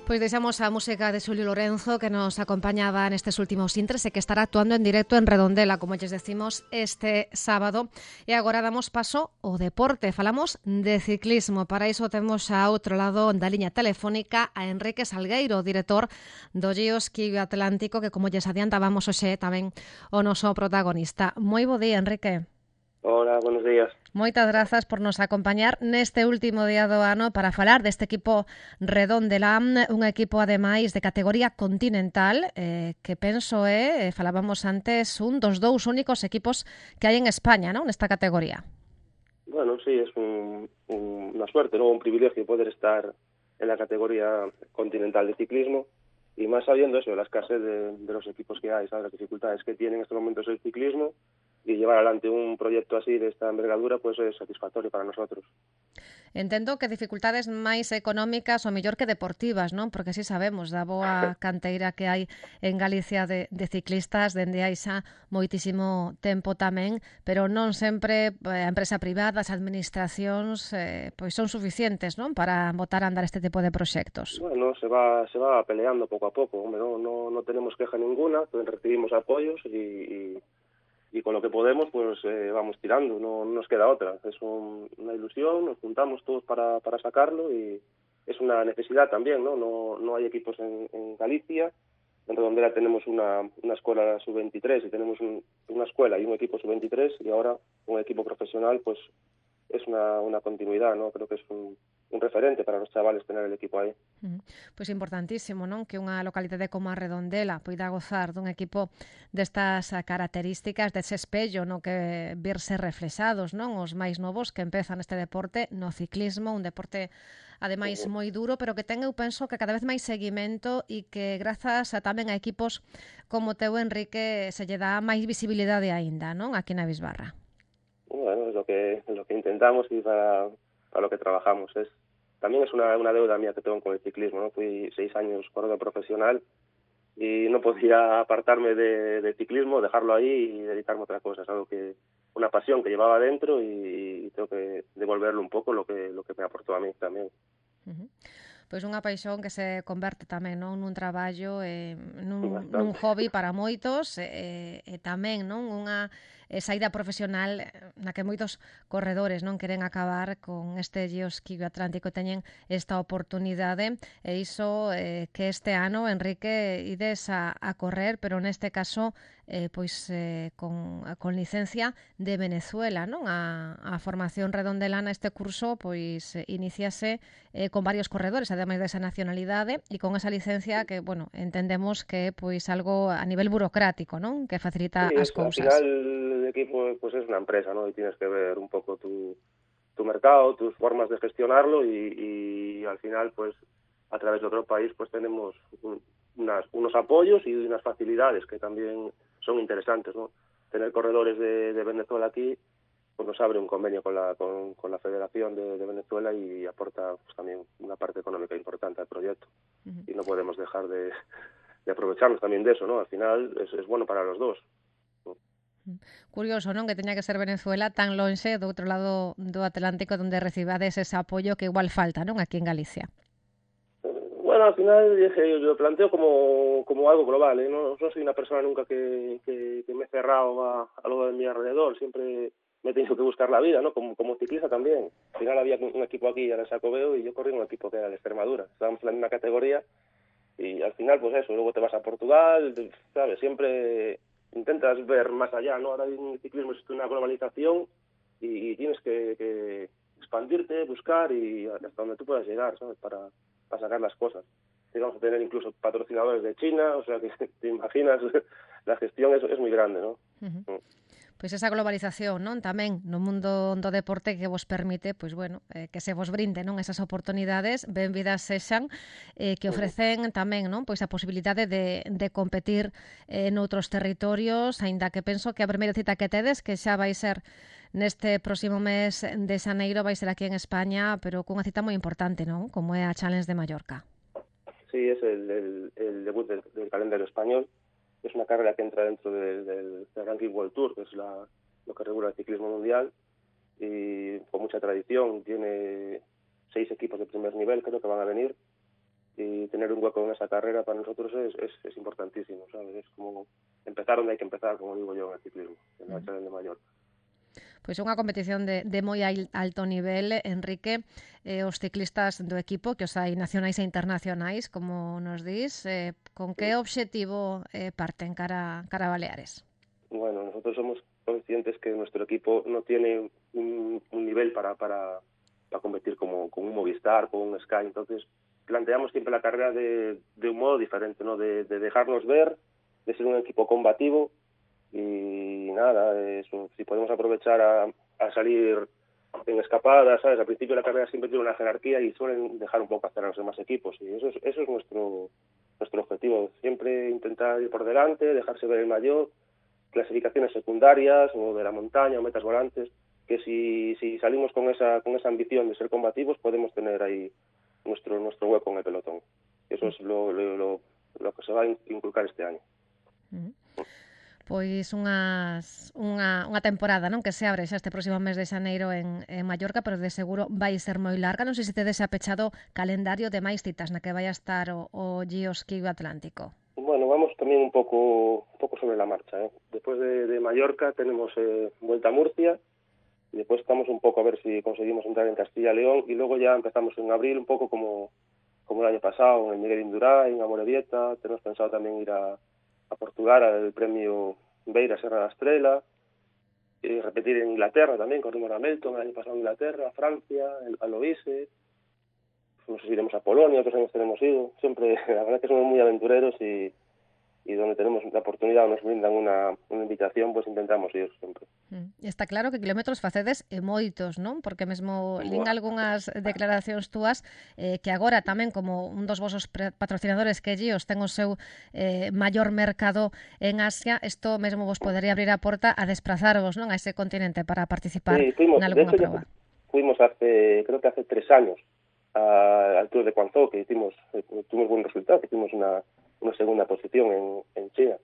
Pois deixamos a música de Xulio Lorenzo, que nos acompañaba nestes últimos intres e que estará actuando en directo en Redondela, como lles decimos, este sábado. E agora damos paso ao deporte. Falamos de ciclismo. Para iso temos a outro lado da liña telefónica a Enrique Salgueiro, director do Giro Ski Atlántico, que como lles adiantábamos hoxe tamén o noso protagonista. Moi bo día, Enrique. Hola, buenos días. Moitas grazas por nos acompañar neste último día do ano para falar deste equipo Redondela, un equipo ademais de categoría continental, eh, que penso é, eh, falábamos antes, un dos dous únicos equipos que hai en España, non, nesta categoría. Bueno, sí, es un, un, una suerte, ¿no? Un privilegio poder estar en la categoría continental de ciclismo y más sabiendo eso, la escasez de, de los equipos que hay, ¿sabes? Las dificultades que tiene en estos momentos el ciclismo. Y llevar adelante un proyecto así de esta envergadura pues es satisfactorio para nosotros. Entendo que dificultades máis económicas ou mellor que deportivas, non? Porque si sabemos da boa canteira que hai en Galicia de, de ciclistas dende hai xa moitísimo tempo tamén, pero non sempre a empresa privada, as administracións eh, pois son suficientes, non? Para botar a andar este tipo de proxectos. Bueno, se va se va peleando pouco a pouco, hombre, no, no, no tenemos queja ninguna, pues recibimos apoyos y, y y con lo que podemos pues eh, vamos tirando, no, no nos queda otra, es un, una ilusión, nos juntamos todos para, para sacarlo y es una necesidad también, ¿no? No, no hay equipos en, en Galicia, en Redondela tenemos una, una escuela sub veintitrés y tenemos un, una escuela y un equipo sub veintitrés y ahora un equipo profesional pues es una, una continuidad, ¿no? Creo que es un, un referente para los chavales tener el equipo aí. Uh-huh. Pois importantísimo, non? Que unha localidade como a Redondela poida gozar dun equipo destas características, dese espello no que verse reflexados, non? Os máis novos que empezan este deporte no ciclismo, un deporte ademais uh-huh. moi duro, pero que ten, eu penso, que cada vez máis seguimento e que grazas a tamén a equipos como teu, Enrique, se lle dá máis visibilidade aínda, non? Aquí na Bisbarra. Bueno, es lo que, lo que intentamos y para, para lo que trabajamos. Es También es una, una deuda mía que tengo con el ciclismo, ¿no? Fui seis años corredor profesional y no podía apartarme de, de ciclismo, dejarlo ahí y dedicarme a otra cosa. Es algo que, una pasión que llevaba dentro y, y tengo que devolverle un poco lo que, lo que me aportó a mí también. Uh-huh. Pois unha paixón que se converte tamén, non, nun traballo, eh, nun, nun hobby para moitos e, e tamén, non, unha eh, saída profesional na que moitos corredores non queren acabar con este Giro Ski Atlántico, teñen esta oportunidade e iso eh, que este ano, Enrique, ides a, a correr, pero neste caso eh, pois eh, con, con licencia de Venezuela, non? A, a formación redondelana, este curso pois eh, iníciase eh, con varios corredores, ademais desa nacionalidade e con esa licencia que, bueno, entendemos que é pois algo a nivel burocrático, non? Que facilita sí, as es, cousas. Al final el equipo pues es una empresa, ¿no? Y tienes que ver un poco tu, tu mercado, tus formas de gestionarlo y, y al final pues a través de otro país pues tenemos un, unas, unos apoyos y unas facilidades que también son interesantes, ¿no? Tener corredores de, de Venezuela aquí pues nos abre un convenio con la con, con la Federación de, de Venezuela y aporta pues también una parte económica importante al proyecto. Uh-huh. Y no podemos dejar de, de aprovecharnos también de eso, ¿no? Al final es, es bueno para los dos. Curioso, non? Que teña que ser Venezuela tan lonxe do outro lado do Atlántico onde recibades ese apoio que igual falta, non? Aquí en Galicia. Bueno, al final yo lo planteo como, como algo global, ¿eh? No, no soy una persona nunca que, que, que me he cerrado a, a lo de mi alrededor, siempre me he tenido que buscar la vida, ¿no? Como, como ciclista también. Al final había un equipo aquí en el Sacobeo y yo corrí en un equipo que era de Extremadura. Estábamos en la misma categoría y al final pues eso, luego te vas a Portugal, ¿sabes? Siempre intentas ver más allá, ¿no? Ahora en el ciclismo existe una globalización y, y tienes que, que expandirte, buscar y hasta donde tú puedas llegar, ¿sabes? Para, para sacar las cosas. Vamos a tener incluso patrocinadores de China, o sea que te imaginas, la gestión es, es muy grande, ¿no? Uh-huh. Pois esa globalización, non? Tamén no mundo do deporte que vos permite, pois bueno, eh, que se vos brinde, non? Esas oportunidades, benvidas sexan, eh, que ofrecen tamén, non? Pois a posibilidade de, de competir eh, noutros territorios, aínda que penso que a primeira cita que tedes, que xa vai ser neste próximo mes de xaneiro, vai ser aquí en España, pero cunha cita moi importante, non? Como é a Challenge de Mallorca. Sí, es el, el, el debut del, del calendario español. Es una carrera que entra dentro del, del, del Ranking World Tour, que es la, lo que regula el ciclismo mundial, y con mucha tradición. Tiene seis equipos de primer nivel, creo que van a venir, y tener un hueco en esa carrera para nosotros es, es, es importantísimo, ¿sabes? Es como empezar donde hay que empezar, como digo yo, en el ciclismo, en la Challenge de Mallorca. Pois é unha competición de, de moi alto nivel, Enrique. Eh, os ciclistas do equipo, que os hai nacionais e internacionais, como nos dís, eh, con que obxectivo eh, parten cara, cara a Baleares? Bueno, nosotros somos conscientes que nuestro equipo no tiene un, un nivel para, para, para competir como, como un Movistar, como un Sky, entonces planteamos siempre la carrera de, de un modo diferente, ¿no? De, de dejarnos ver, de ser un equipo combativo y nada, eso, si podemos aprovechar a, a salir en escapadas, ¿sabes? Al principio de la carrera siempre tiene una jerarquía y suelen dejar un poco hacer a los demás equipos y eso es, eso es nuestro, nuestro objetivo, siempre intentar ir por delante, dejarse ver el mayor, clasificaciones secundarias o de la montaña o metas volantes, que si, si salimos con esa, con esa ambición de ser combativos podemos tener ahí nuestro nuestro hueco en el pelotón. Eso es lo, lo, lo, lo que se va a inculcar este año. Mm. Pois unhas, unha, unha temporada, non, que se abre xa este próximo mes de xaneiro en, en Mallorca, pero de seguro vai ser moi larga. Non sei se tedes apechado calendario de máis citas na que vai a estar o, o Giro Ski Atlántico. Bueno, vamos tamén un pouco un pouco sobre la marcha, ¿eh? Después de, de Mallorca tenemos eh, Vuelta a Murcia, y después estamos un poco a ver si conseguimos entrar en Castilla y León, y luego ya empezamos en abril un pouco como, como el año pasado, en el Miguel Indurain, en Amorebieta. Tenemos pensado tamén ir a a Portugal al premio Beira Serra da Estrela, y repetir en Inglaterra también, corrimos a Melton el año pasado en Inglaterra, a Francia, a Loise, no sé si iremos a Polonia, otros años tenemos ido, siempre, la verdad que somos muy aventureros y, y donde tenemos la oportunidad o nos brindan una, una invitación, pues intentamos ir siempre. Está claro que kilómetros facedes e moitos, non? Porque mesmo lín algunhas declaracións túas eh, que agora tamén como un dos vosos patrocinadores que Gios ten o seu eh, maior mercado en Asia, isto mesmo vos podería abrir a porta a desplazarvos, non, a ese continente para participar sí, fuimos, en algunha de hecho, prova. Fuimos hace, creo que hace tres años a, al Tour de Guangzhou, que hicimos, tuvimos buen resultado, hicimos una, una segunda posición en, en China.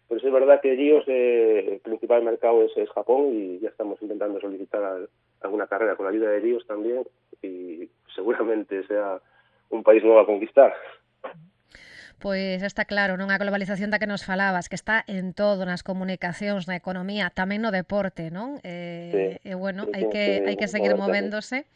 Pero es verdad que Gios, eh, el principal mercado es, es Japón y ya estamos intentando solicitar a, alguna carrera con la ayuda de Gios también y seguramente sea un país nuevo a conquistar. Pois está claro, non, a globalización da que nos falabas, que está en todo, nas comunicacións, na economía, tamén no deporte, non? Eh, sí, e bueno, sí, hai que sí, hai que seguir sí. movéndose.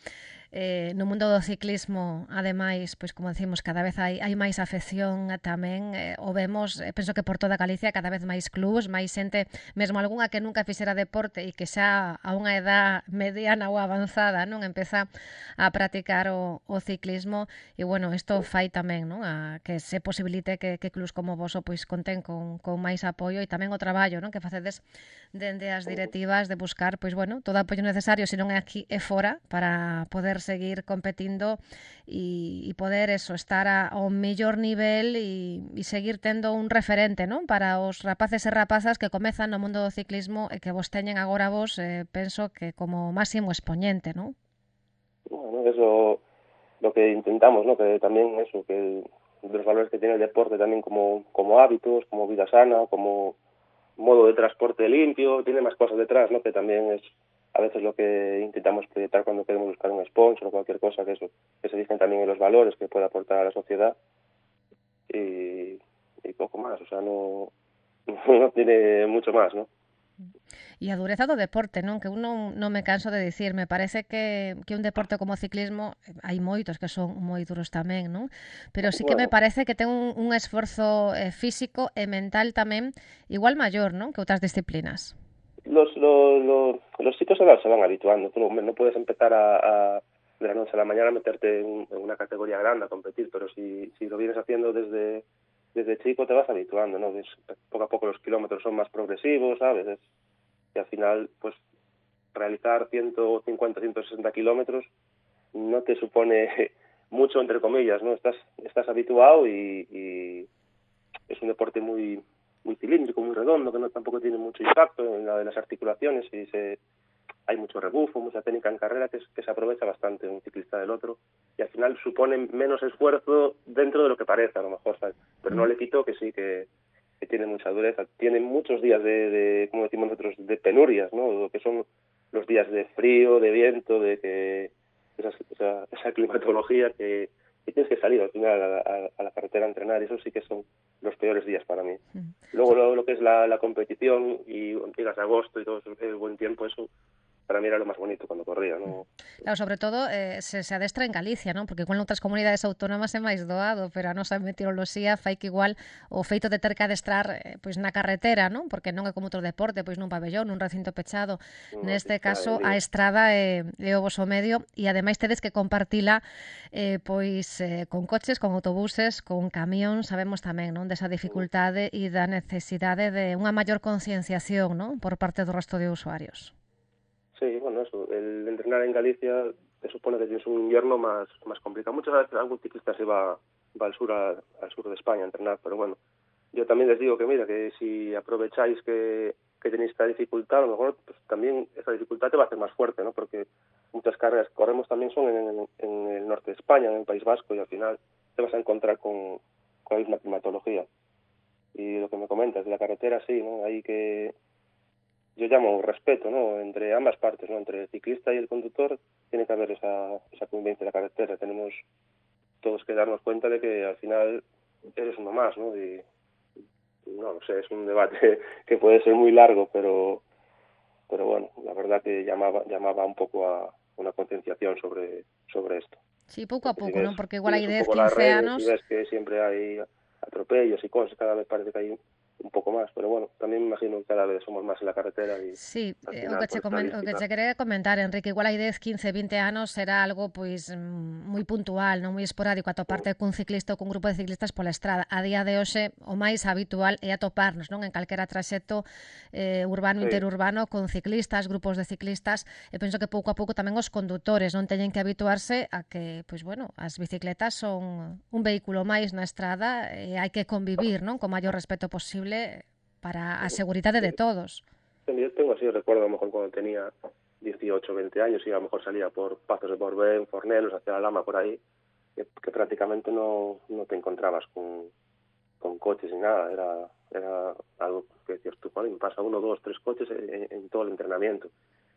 Eh, no mundo do ciclismo, ademais, pois como decimos, cada vez hai, hai máis afección tamén, eh, o vemos, eh, penso que por toda Galicia cada vez máis clubs, máis xente, mesmo algunha que nunca fixera deporte e que xa a unha edad mediana ou avanzada, non, empeza a practicar o, o ciclismo e bueno, isto fai tamén, non, a que se posibilite que, que clubs como vos pois conten con, con máis apoio e tamén o traballo, non, que facedes dende as directivas de buscar, pois bueno, todo o apoio necesario, se non é aquí é fora, para poder seguir competindo e, e poder eso, estar a, ao mellor nivel e, e seguir tendo un referente, non? Para os rapaces e rapazas que comezan no mundo do ciclismo e que vos teñen agora vos, eh, penso que como máximo expoñente, non? Bueno, eso lo que intentamos, ¿no? Que también eso, que los valores que tiene el deporte también como, como hábitos, como vida sana, como modo de transporte limpio, tiene más cosas detrás, ¿no? Que también es a veces lo que intentamos proyectar cuando queremos buscar un sponsor o cualquier cosa, que eso, que se fijen también en los valores que puede aportar a la sociedad y, y poco más, o sea, no, no tiene mucho más, ¿no? E a dureza do deporte, non? Que uno non me canso de dicir, me parece que, que un deporte como o ciclismo, hai moitos que son moi duros tamén, non? Pero sí que bueno, me parece que ten un, un esforzo eh, físico e mental tamén igual maior, non? Que outras disciplinas. Los, los, los, los chicos se van, se van habituando. Tú no, no puedes empezar a, a de la noche a la mañana a meterte en, en una categoría grande a competir, pero si, si lo vienes haciendo desde, desde chico te vas habituando, ¿no? Es, poco a poco los kilómetros son más progresivos, ¿sabes? Es, y al final, pues, realizar ciento cincuenta, ciento sesenta kilómetros no te supone mucho, entre comillas, ¿no? Estás, estás habituado y, y es un deporte muy muy cilíndrico, muy redondo, que no tampoco tiene mucho impacto en la de las articulaciones y se, hay mucho rebufo, mucha técnica en carrera que, es, que se aprovecha bastante un ciclista del otro y al final supone menos esfuerzo dentro de lo que parece, a lo mejor, ¿sabes? Pero no le quito que sí, que, que tiene mucha dureza, tiene muchos días de, de, como decimos nosotros, de penurias, ¿no? Lo que son los días de frío, de viento, de que esa, esa, esa climatología que, y tienes que salir al final a, a, a la carretera a entrenar, y eso sí que son los peores días para mí. Mm. Luego lo, lo que es la, la competición, y llegas a agosto y todo el buen tiempo, eso para mí era lo más bonito cuando corría, ¿no? Claro, sobre todo eh, se, se adestra en Galicia, ¿no? Porque igual en outras comunidades autónomas é máis doado, pero a nosa meteoroloxía fai que igual o feito de ter que adestrar eh, pois na carretera, ¿no? Porque non é como outro deporte, pois nun pabellón, nun recinto pechado. No, neste caso, a estrada é, é o voso medio, e ademais tedes que compartila eh, pois eh, con coches, con autobuses, con camións. Sabemos tamén, non, desa dificultade e da necesidade de unha maior concienciación, non, por parte do resto de usuarios. Sí, bueno, eso, el entrenar en Galicia se supone que tienes un invierno más, más complicado. Muchas veces algún ciclista se va, va al sur a, al sur de España a entrenar, pero bueno, yo también les digo que mira, que si aprovecháis que, que tenéis esta dificultad, a lo mejor pues, también esa dificultad te va a hacer más fuerte, ¿no? Porque muchas carreras que corremos también son en, en el norte de España, en el País Vasco, y al final te vas a encontrar con, con la misma climatología. Y lo que me comentas de la carretera, sí, ¿no? Hay que... Yo llamo respeto, ¿no? Entre ambas partes, ¿no? Entre el ciclista y el conductor tiene que haber esa, esa convivencia en la carretera. Tenemos todos que darnos cuenta de que al final eres uno más, ¿no? Y no, no sé, es un debate que puede ser muy largo, pero pero bueno, la verdad que llamaba llamaba un poco a una concienciación sobre sobre esto. Sí, pouco a pouco, si ¿no? Porque igual hai dez, quince anos... Y ves que siempre hay atropellos y cosas, cada vez parece que hay un pouco máis, pero bueno, tamén me imagino que cada vez somos máis en la carretera e sí, final, o que che comen, o que che quería comentar, Enrique, igual hai dez, quince, vinte anos será algo pois moi puntual, non moi esporádico atoparte cun ciclista ou cun grupo de ciclistas pola estrada. A día de hoxe o máis habitual é atoparnos, non, en calquera traxecto eh, urbano, sí, interurbano, con ciclistas, grupos de ciclistas, e penso que pouco a pouco tamén os condutores non teñen que habituarse a que, pois bueno, as bicicletas son un vehículo máis na estrada e hai que convivir, non, con maior respeto posible para a seguridade de todos. Yo tengo así, recuerdo a lo mejor cuando tenía dieciocho, veinte años y a lo mejor salía por Pazos de Borbén, Fornelos, hacia la Lama, por ahí, que, que prácticamente no, no te encontrabas con, con coches ni nada. Era, era algo que decías tú, me pasa uno, dos, tres coches en, en todo el entrenamiento.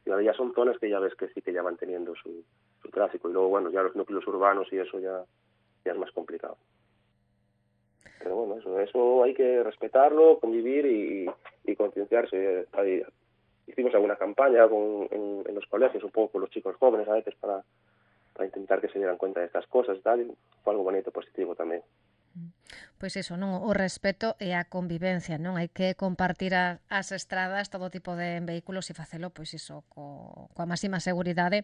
Y ahora ya son zonas que ya ves que sí que ya van teniendo su, su tráfico. Y luego, bueno, ya los núcleos urbanos y eso ya, ya es más complicado. Pero bueno, eso, eso hay que respetarlo, convivir y, y concienciarse. Hay, hicimos alguna campaña con, en, en los colegios, un poco con los chicos jóvenes a veces para, para intentar que se dieran cuenta de estas cosas y tal. Y fue algo bonito, positivo tamén. Pois iso, non, o respeto e a convivencia, non? Hai que compartir a, as estradas, todo tipo de vehículos e facelo, pois iso, co, coa máxima seguridade.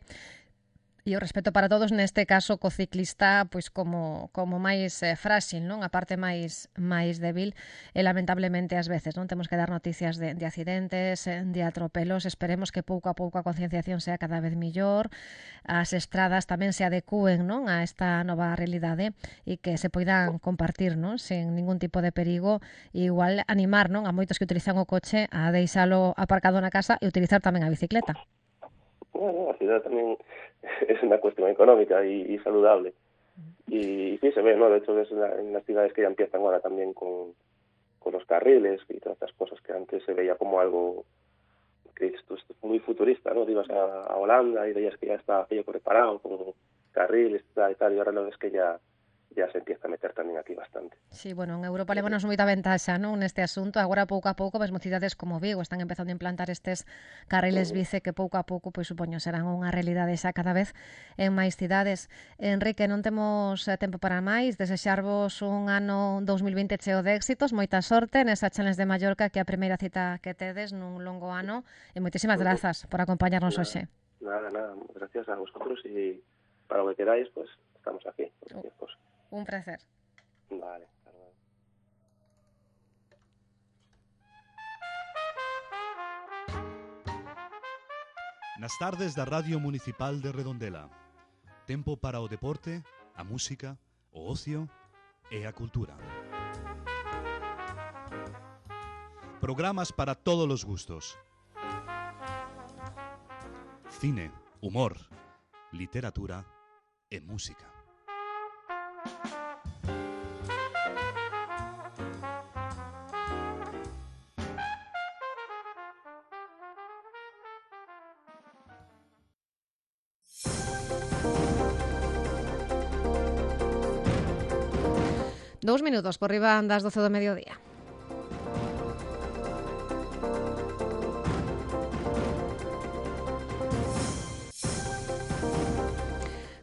E o respeto para todos, neste caso, co ciclista, pois como como máis eh, frágil, non? A parte máis máis débil, e lamentablemente ás veces, non? Temos que dar noticias de, de accidentes, de atropelos. Esperemos que pouco a pouco a concienciación sea cada vez millor, as estradas tamén se adecúen, non? A esta nova realidade e que se poidan compartir, non? Sen ningún tipo de perigo, e igual animar, non? A moitos que utilizan o coche a deixalo aparcado na casa e utilizar tamén a bicicleta. Bueno, la ciudad también es una cuestión económica y, y saludable. Y, y sí se ve, ¿no? De hecho, es la, en las ciudades que ya empiezan ahora también con, con los carriles y todas estas cosas que antes se veía como algo que esto es muy futurista, ¿no? Te ibas a, a Holanda y veías que ya está aquello preparado con carriles y tal, y ahora lo ves que ya ya se empieza a meter tamén aquí bastante. Sí, bueno, en Europa levamos moita ventaxa, non, neste asunto. Agora, pouco a pouco, mesmo cidades como Vigo están empezando a implantar estes carriles bici que pouco a pouco, pois supoño, serán unha realidade xa cada vez en máis cidades. Enrique, non temos tempo para máis. Desexarvos un ano dous mil vinte cheo de éxitos, moita sorte nesa Challenge de Mallorca, que é a primeira cita que tedes nun longo ano, e moitísimas grazas por acompañarnos hoxe. Nada, nada, gracias a vosotros e para lo que queráis, pues estamos aquí. Pues, un placer. Vale. Nas tardes da Radio Municipal de Redondela. Tempo para o deporte, a música, o ocio e a cultura. Programas para todos os gustos. Cine, humor, literatura e música. Dous minutos por riba das doce do mediodía.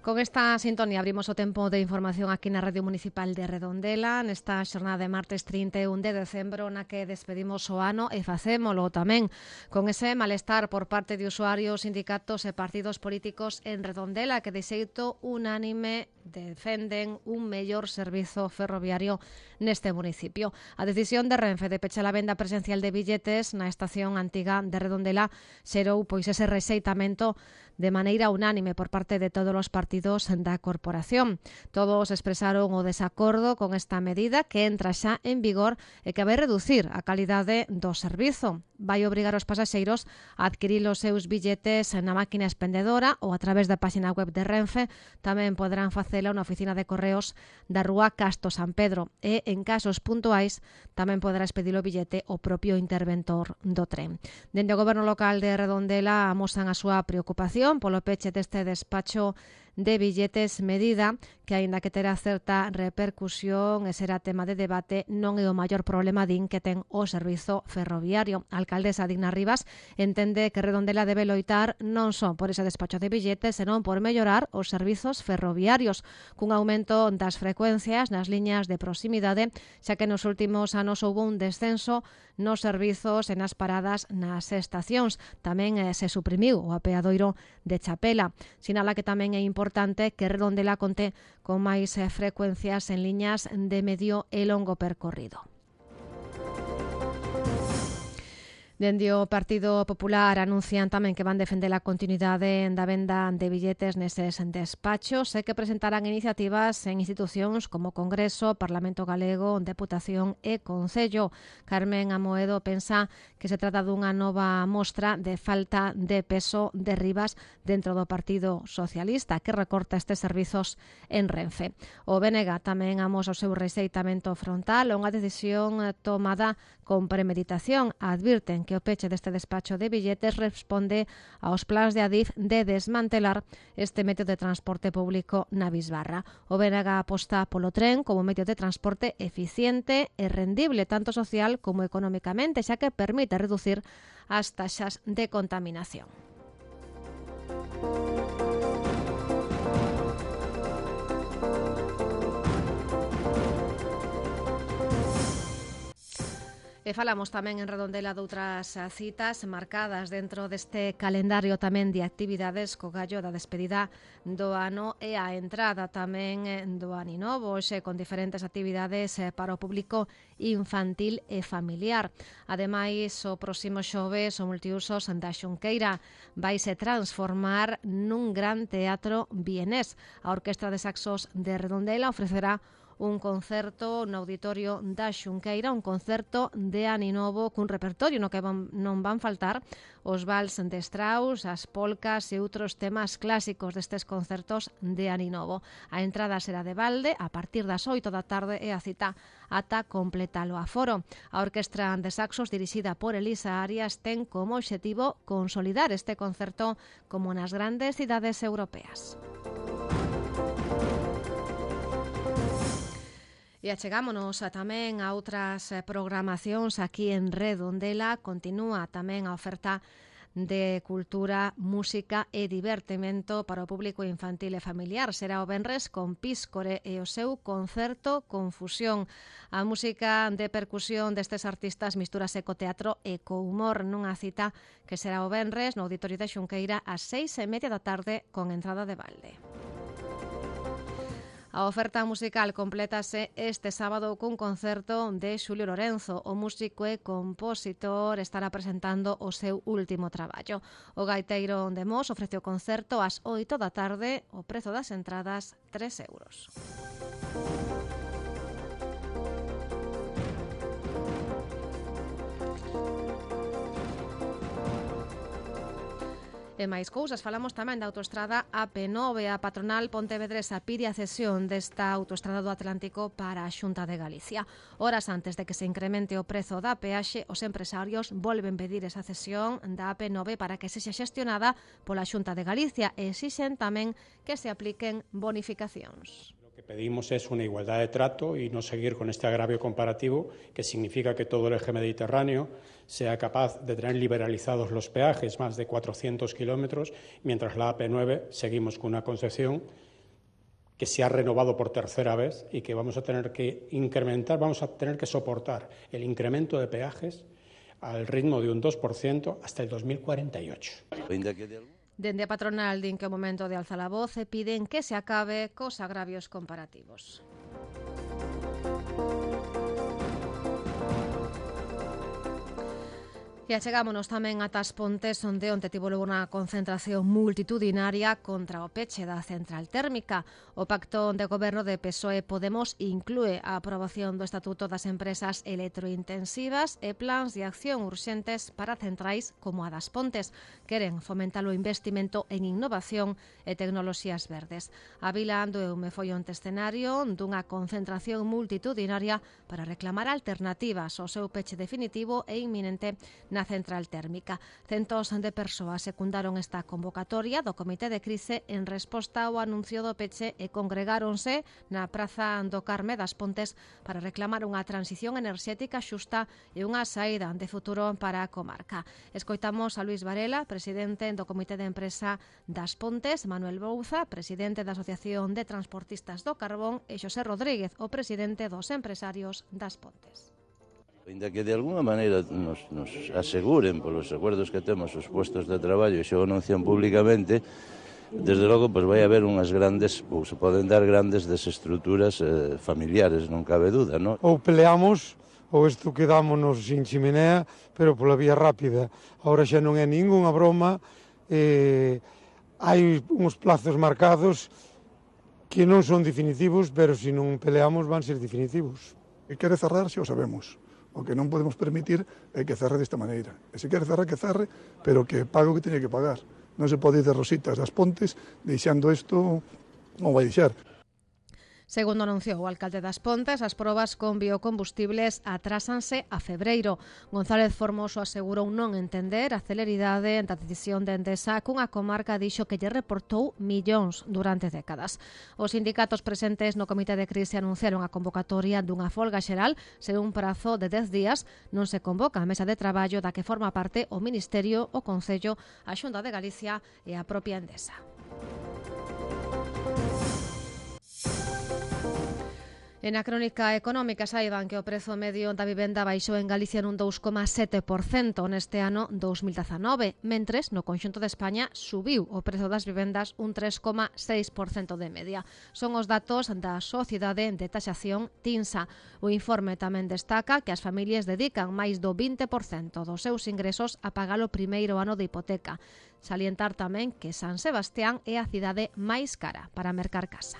Con esta sintonía abrimos o tempo de información aquí na Radio Municipal de Redondela nesta xornada de martes trinta e un de decembro na que despedimos o ano e facémolo tamén con ese malestar por parte de usuarios, sindicatos e partidos políticos en Redondela que de xeito unánime defenden un mellor servizo ferroviario neste municipio. A decisión de Renfe de pechar a venda presencial de billetes na estación antiga de Redondela xerou pois ese rexeitamento de maneira unánime por parte de todos os partidos da corporación. Todos expresaron o desacordo con esta medida que entra xa en vigor e que vai reducir a calidade do servizo. Vai obrigar os pasaxeiros a adquirir os seus billetes na máquina expendedora ou a través da página web de Renfe. Tamén poderán facela na oficina de correos da rúa Casto San Pedro e, en casos puntuais, tamén poderá expedir o billete o propio interventor do tren. Dende o Goberno local de Redondela amosan a súa preocupación polo peche deste despacho de billetes, medida que, aínda que terá certa repercusión e será tema de debate, non é o maior problema din que ten o servizo ferroviario. A alcaldesa Digna Rivas entende que Redondela debe loitar non só por ese despacho de billetes, senón por mellorar os servizos ferroviarios, cun aumento das frecuencias nas liñas de proximidade, xa que nos últimos anos houve un descenso nos servizos e nas paradas nas estacións. Tamén eh, se suprimiu o apeadoiro de Chapela. Sinala que tamén é importante que Redondela conte con máis eh, frecuencias en liñas de medio e longo percorrido. Dende o Partido Popular anuncian tamén que van defender a continuidade da venda de billetes neses despachos e que presentarán iniciativas en institucións como Congreso, Parlamento Galego, Deputación e Concello. Carmen Amoedo pensa que se trata dunha nova mostra de falta de peso de Rivas dentro do Partido Socialista, que recorta estes servizos en Renfe. O B N G tamén amosa o seu rexeitamento frontal a unha decisión tomada con premeditación. Advirten que o peche deste despacho de billetes responde aos plans de Adif de desmantelar este medio de transporte público na Bisbarra. O B N G aposta polo tren como medio de transporte eficiente e rendible tanto social como económicamente, xa que permite reducir as taxas de contaminación. E falamos tamén en Redondela doutras citas marcadas dentro deste calendario tamén de actividades co gallo da despedida do ano e a entrada tamén do aninovo, xe con diferentes actividades para o público infantil e familiar. Ademais, o próximo xoves o multiusos da Xunqueira vai se transformar nun gran teatro vienés. A Orquestra de Saxos de Redondela ofrecerá un concerto no auditorio da Xunqueira, un concerto de aninovo cun repertorio no que van, non van faltar os vals de Strauss, as polcas e outros temas clásicos destes concertos de aninovo. A entrada será de balde a partir das oito da tarde e a cita ata completar o aforo. A Orquestra de Saxos, dirixida por Elisa Arias, ten como obxectivo consolidar este concerto como nas grandes cidades europeas. E achegámonos a tamén a outras programacións aquí en Redondela. Continúa tamén a oferta de cultura, música e divertimento para o público infantil e familiar. Será o venres con Píscore e o seu concerto Confusión. A música de percusión destes artistas mistúrase co teatro e co humor nunha cita que será o venres no Auditorio da Xunqueira ás seis e media da tarde con entrada de balde. A oferta musical complétase este sábado cun concerto de Xulio Lorenzo. O músico e compositor estará presentando o seu último traballo. O gaiteiro de Mos ofrece o concerto ás oito da tarde. O prezo das entradas, tres euros. E máis cousas, falamos tamén da autoestrada A P nove. A patronal pontevedresa pide a cesión desta autoestrada do Atlántico para a Xunta de Galicia. Horas antes de que se incremente o prezo da peaxe, os empresarios volven pedir esa cesión da A P nove para que sexa xestionada pola Xunta de Galicia e exixen tamén que se apliquen bonificacións. Lo que pedimos es una igualdad de trato y no seguir con este agravio comparativo que significa que todo el eje mediterráneo sea capaz de tener liberalizados los peajes, más de cuatrocientos kilómetros, mientras la A P nueve seguimos con una concesión que se ha renovado por tercera vez y que vamos a tener que incrementar, vamos a tener que soportar el incremento de peajes al ritmo de un dos por ciento hasta el dos mil cuarenta y ocho. Dende a patronal din que o momento de alzar a voz e piden que se acabe cos agravios comparativos. E achegámonos tamén ata as Pontes, onde onte tivo lugar unha concentración multitudinaria contra o peche da central térmica. O pacto de goberno de P S O E Podemos inclúe a aprobación do Estatuto das Empresas Electrointensivas e plans de acción urxentes para centrais como a das Pontes. Queren fomentar o investimento en innovación e tecnoloxías verdes. A Vila Andoeume foi onte escenario dunha concentración multitudinaria para reclamar alternativas ao seu peche definitivo e inminente na central térmica. Centos de persoas secundaron esta convocatoria do Comité de Crise en resposta ao anuncio do peche e congregáronse na Praza do Carme das Pontes para reclamar unha transición enerxética xusta e unha saída de futuro para a comarca. Escoitamos a Luis Varela, presidente do Comité de Empresa das Pontes, Manuel Bouza, presidente da Asociación de Transportistas do Carbón e Xosé Rodríguez, o presidente dos empresarios das Pontes. Ainda que de alguna maneira nos, nos aseguren polos acordos que temos os puestos de traballo e xa o anuncian públicamente, desde logo pues, vai haber unhas grandes, ou se poden dar grandes desestruturas eh, familiares, non cabe duda, non? Ou peleamos ou isto quedámonos sin chimenea, pero pola vía rápida. Ahora xa non é ningunha broma, eh, hai uns plazos marcados que non son definitivos, pero se non peleamos van ser definitivos. Que quere cerrar, xa o sabemos. O que non podemos permitir é que cerre desta maneira. E se quere cerrar, que cerre, pero que pague o que teña que pagar. Non se pode ir de rositas das Pontes, deixando isto, non vai deixar. Segundo anunciou o alcalde das Pontes, as probas con biocombustibles atrásanse a febreiro. González Formoso asegurou non entender a celeridade da decisión de Endesa cunha comarca dixo que lle reportou millóns durante décadas. Os sindicatos presentes no Comité de Crise anunciaron a convocatoria dunha folga xeral sen un prazo de dez días. Non se convoca a mesa de traballo da que forma parte o Ministerio, o Concello, a Xunta de Galicia e a propia Endesa. En a crónica económica saiban que o prezo medio da vivenda baixou en Galicia nun dous coma sete por cento neste ano dous mil dezanove, mentres no conxunto de España subiu o prezo das vivendas un tres coma seis por cento de media. Son os datos da Sociedade de Taxación TINSA. O informe tamén destaca que as familias dedican máis do vinte por cento dos seus ingresos a pagar o primeiro ano de hipoteca. Salientar tamén que San Sebastián é a cidade máis cara para mercar casa.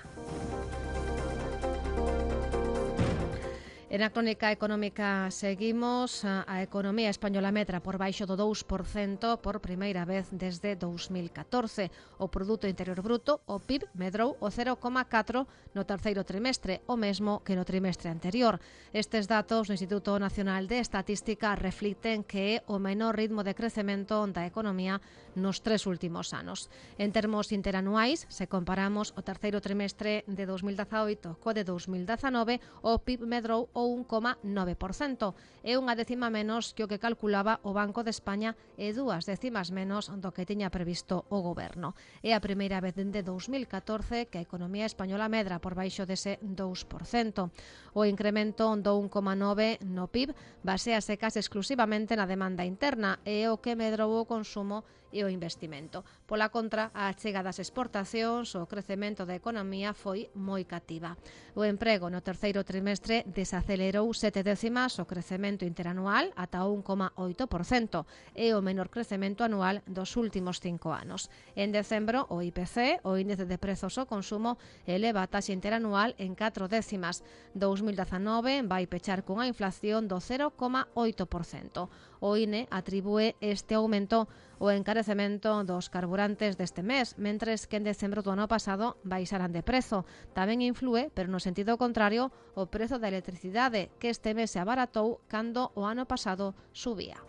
En a crónica económica seguimos. A economía española medra por baixo do dous por cento por primeira vez desde dous mil catorce. O Produto Interior Bruto, o P I B, medrou o cero coma catro no terceiro trimestre, o mesmo que no trimestre anterior. Estes datos do Instituto Nacional de Estatística reflicten que é o menor ritmo de crecemento da economía nos tres últimos anos. En termos interanuais, se comparamos o terceiro trimestre de dous mil dezaoito co de dous mil dezanove, o P I B medrou o un coma nove por cento. É unha décima menos que o que calculaba o Banco de España e dúas décimas menos do que tiña previsto o Goberno. É a primeira vez dende dous mil catorce que a economía española medra por baixo dese dous por cento. O incremento do un coma nove por cento no P I B basease case exclusivamente na demanda interna e o que medrou o consumo e o investimento. Pola contra, a achega das exportacións, o crecemento da economía foi moi cativa. O emprego no terceiro trimestre desacelerou sete décimas o crecemento interanual ata un coma oito por cento e o menor crecemento anual dos últimos cinco anos. En decembro, o I P C, o índice de prezos ao consumo, eleva a taxa interanual en catro décimas. dous mil dezanove vai pechar cunha inflación do cero coma oito por cento. O I N E atribúe este aumento o encarecemento dos carburantes deste mes, mentres que en decembro do ano pasado baixaran de prezo. Tamén inflúe, pero no sentido contrario, o prezo da electricidade, que este mes se abaratou cando o ano pasado subía.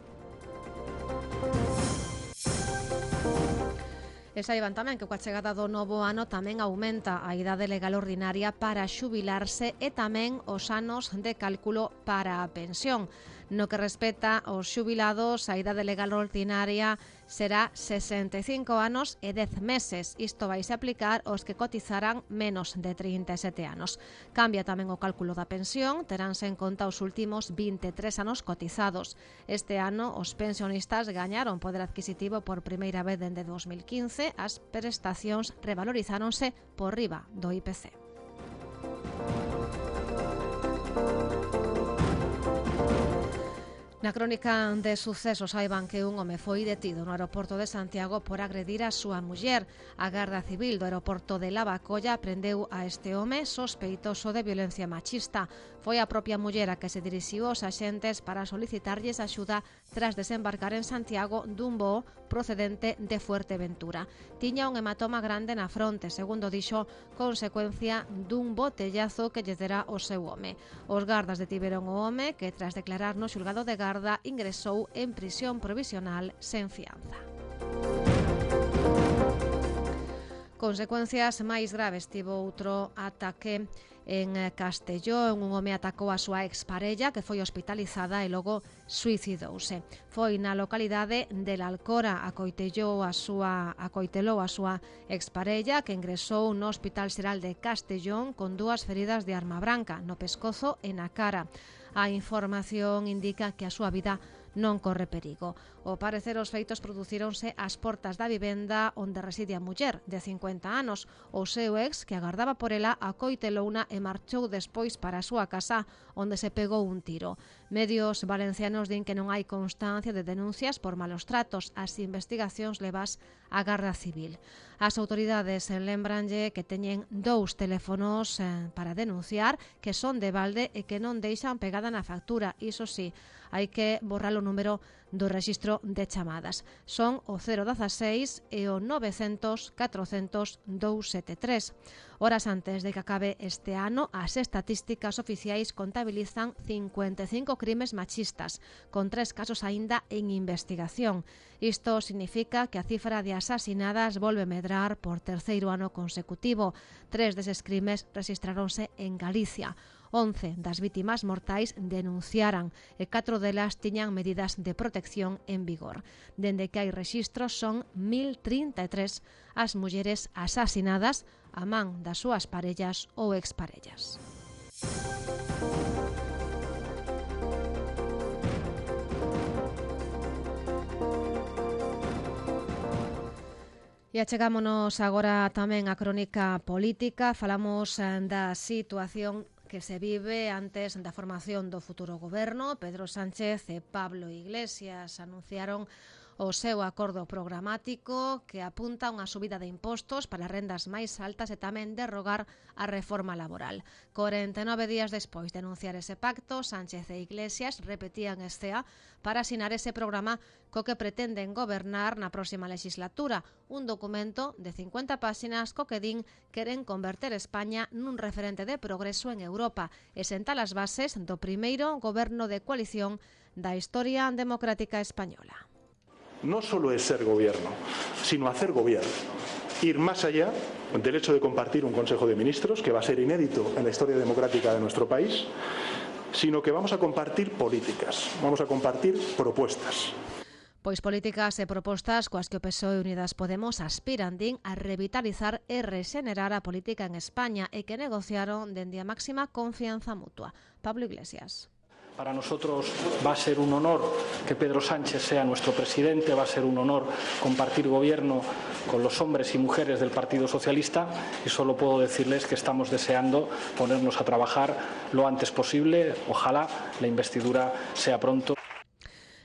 E saiban tamén que coa chegada do novo ano tamén aumenta a idade legal ordinaria para xubilarse e tamén os anos de cálculo para a pensión. No que respecta aos xubilados, a idade legal ordinaria será sesenta e cinco anos e dez meses. Isto vaise aplicar aos que cotizaran menos de trinta e sete anos. Cambia tamén o cálculo da pensión, teránse en conta os últimos vinte e tres anos cotizados. Este ano, os pensionistas gañaron poder adquisitivo por primeira vez dende dos mil quince, as prestacións revalorizáronse por riba do I P C. Na crónica de sucesos saiban que un home foi detido no aeroporto de Santiago por agredir a súa muller. A Garda Civil do aeroporto de Lavacolla prendeu a este home sospeitoso de violencia machista. Foi a propia muller a que se dirixiu aos axentes para solicitarlles axuda tras desembarcar en Santiago dun voo procedente de Fuerteventura. Tiña un hematoma grande na fronte, segundo dixo, consecuencia dun botellazo que lle dera o seu home. Os gardas detiveron o home que, tras declarar no xulgado de Garda, ingresou en prisión provisional sen fianza. Consecuencias máis graves tivo outro ataque en Castelló. Un home atacou a súa exparella, que foi hospitalizada e logo suicidouse. Foi na localidade de La Alcora, acoitelou a súa acoitelou a súa exparella, que ingresou no Hospital Xeral de Castellón con dúas feridas de arma branca no pescozo e na cara. A información indica que a súa vida non corre perigo. Ao parecer, os feitos producíronse ás portas da vivenda onde reside a muller, de cincuenta anos. O seu ex, que agardaba por ela, acoitelouna e marchou despois para a súa casa, onde se pegou un tiro. Medios valencianos din que non hai constancia de denuncias por malos tratos. As investigacións levas á Garda Civil. As autoridades lembranlle que teñen dous teléfonos para denunciar, que son de balde e que non deixan pegada na factura. Iso sí, hai que borrar o número do rexistro de chamadas. Son o cero dezasseis e o novecentos catrocentos doscientos setenta e tres. Horas antes de que acabe este ano, as estatísticas oficiais contabilizan cincuenta e cinco crimes machistas, con tres casos aínda en investigación. Isto significa que a cifra de asasinadas volve medrar por terceiro ano consecutivo. Tres deses crimes rexistráronse en Galicia. once das vítimas mortais denunciaran e catro delas tiñan medidas de protección en vigor. Dende que hai rexistros, son mil trinta e tres as mulleres asasinadas a man das súas parellas ou exparellas. E achegámonos agora tamén á crónica política. Falamos da situación que se vive antes da formación do futuro goberno. Pedro Sánchez e Pablo Iglesias anunciaron o seu acordo programático que apunta a unha subida de impostos para rendas máis altas e tamén derrogar a reforma laboral. corenta e nove días despois de anunciar ese pacto, Sánchez e Iglesias repetían escea para asinar ese programa co que pretenden gobernar na próxima legislatura, un documento de cincuenta páxinas co que din queren converter España nun referente de progreso en Europa e sentar as bases do primeiro goberno de coalición da historia democrática española. No solo es ser gobierno, sino hacer gobierno. Ir más allá del hecho de compartir un Consejo de Ministros, que va a ser inédito en la historia democrática de nuestro país, sino que vamos a compartir políticas, vamos a compartir propuestas. Pois políticas e propostas coas que o P S O E e Unidas Podemos aspiran, din, a revitalizar e rexenerar a política en España e que negociaron dende a máxima confianza mutua. Pablo Iglesias. Para nosotros va a ser un honor que Pedro Sánchez sea nuestro presidente, va a ser un honor compartir gobierno con los hombres y mujeres del Partido Socialista y solo puedo decirles que estamos deseando ponernos a trabajar lo antes posible. Ojalá la investidura sea pronto.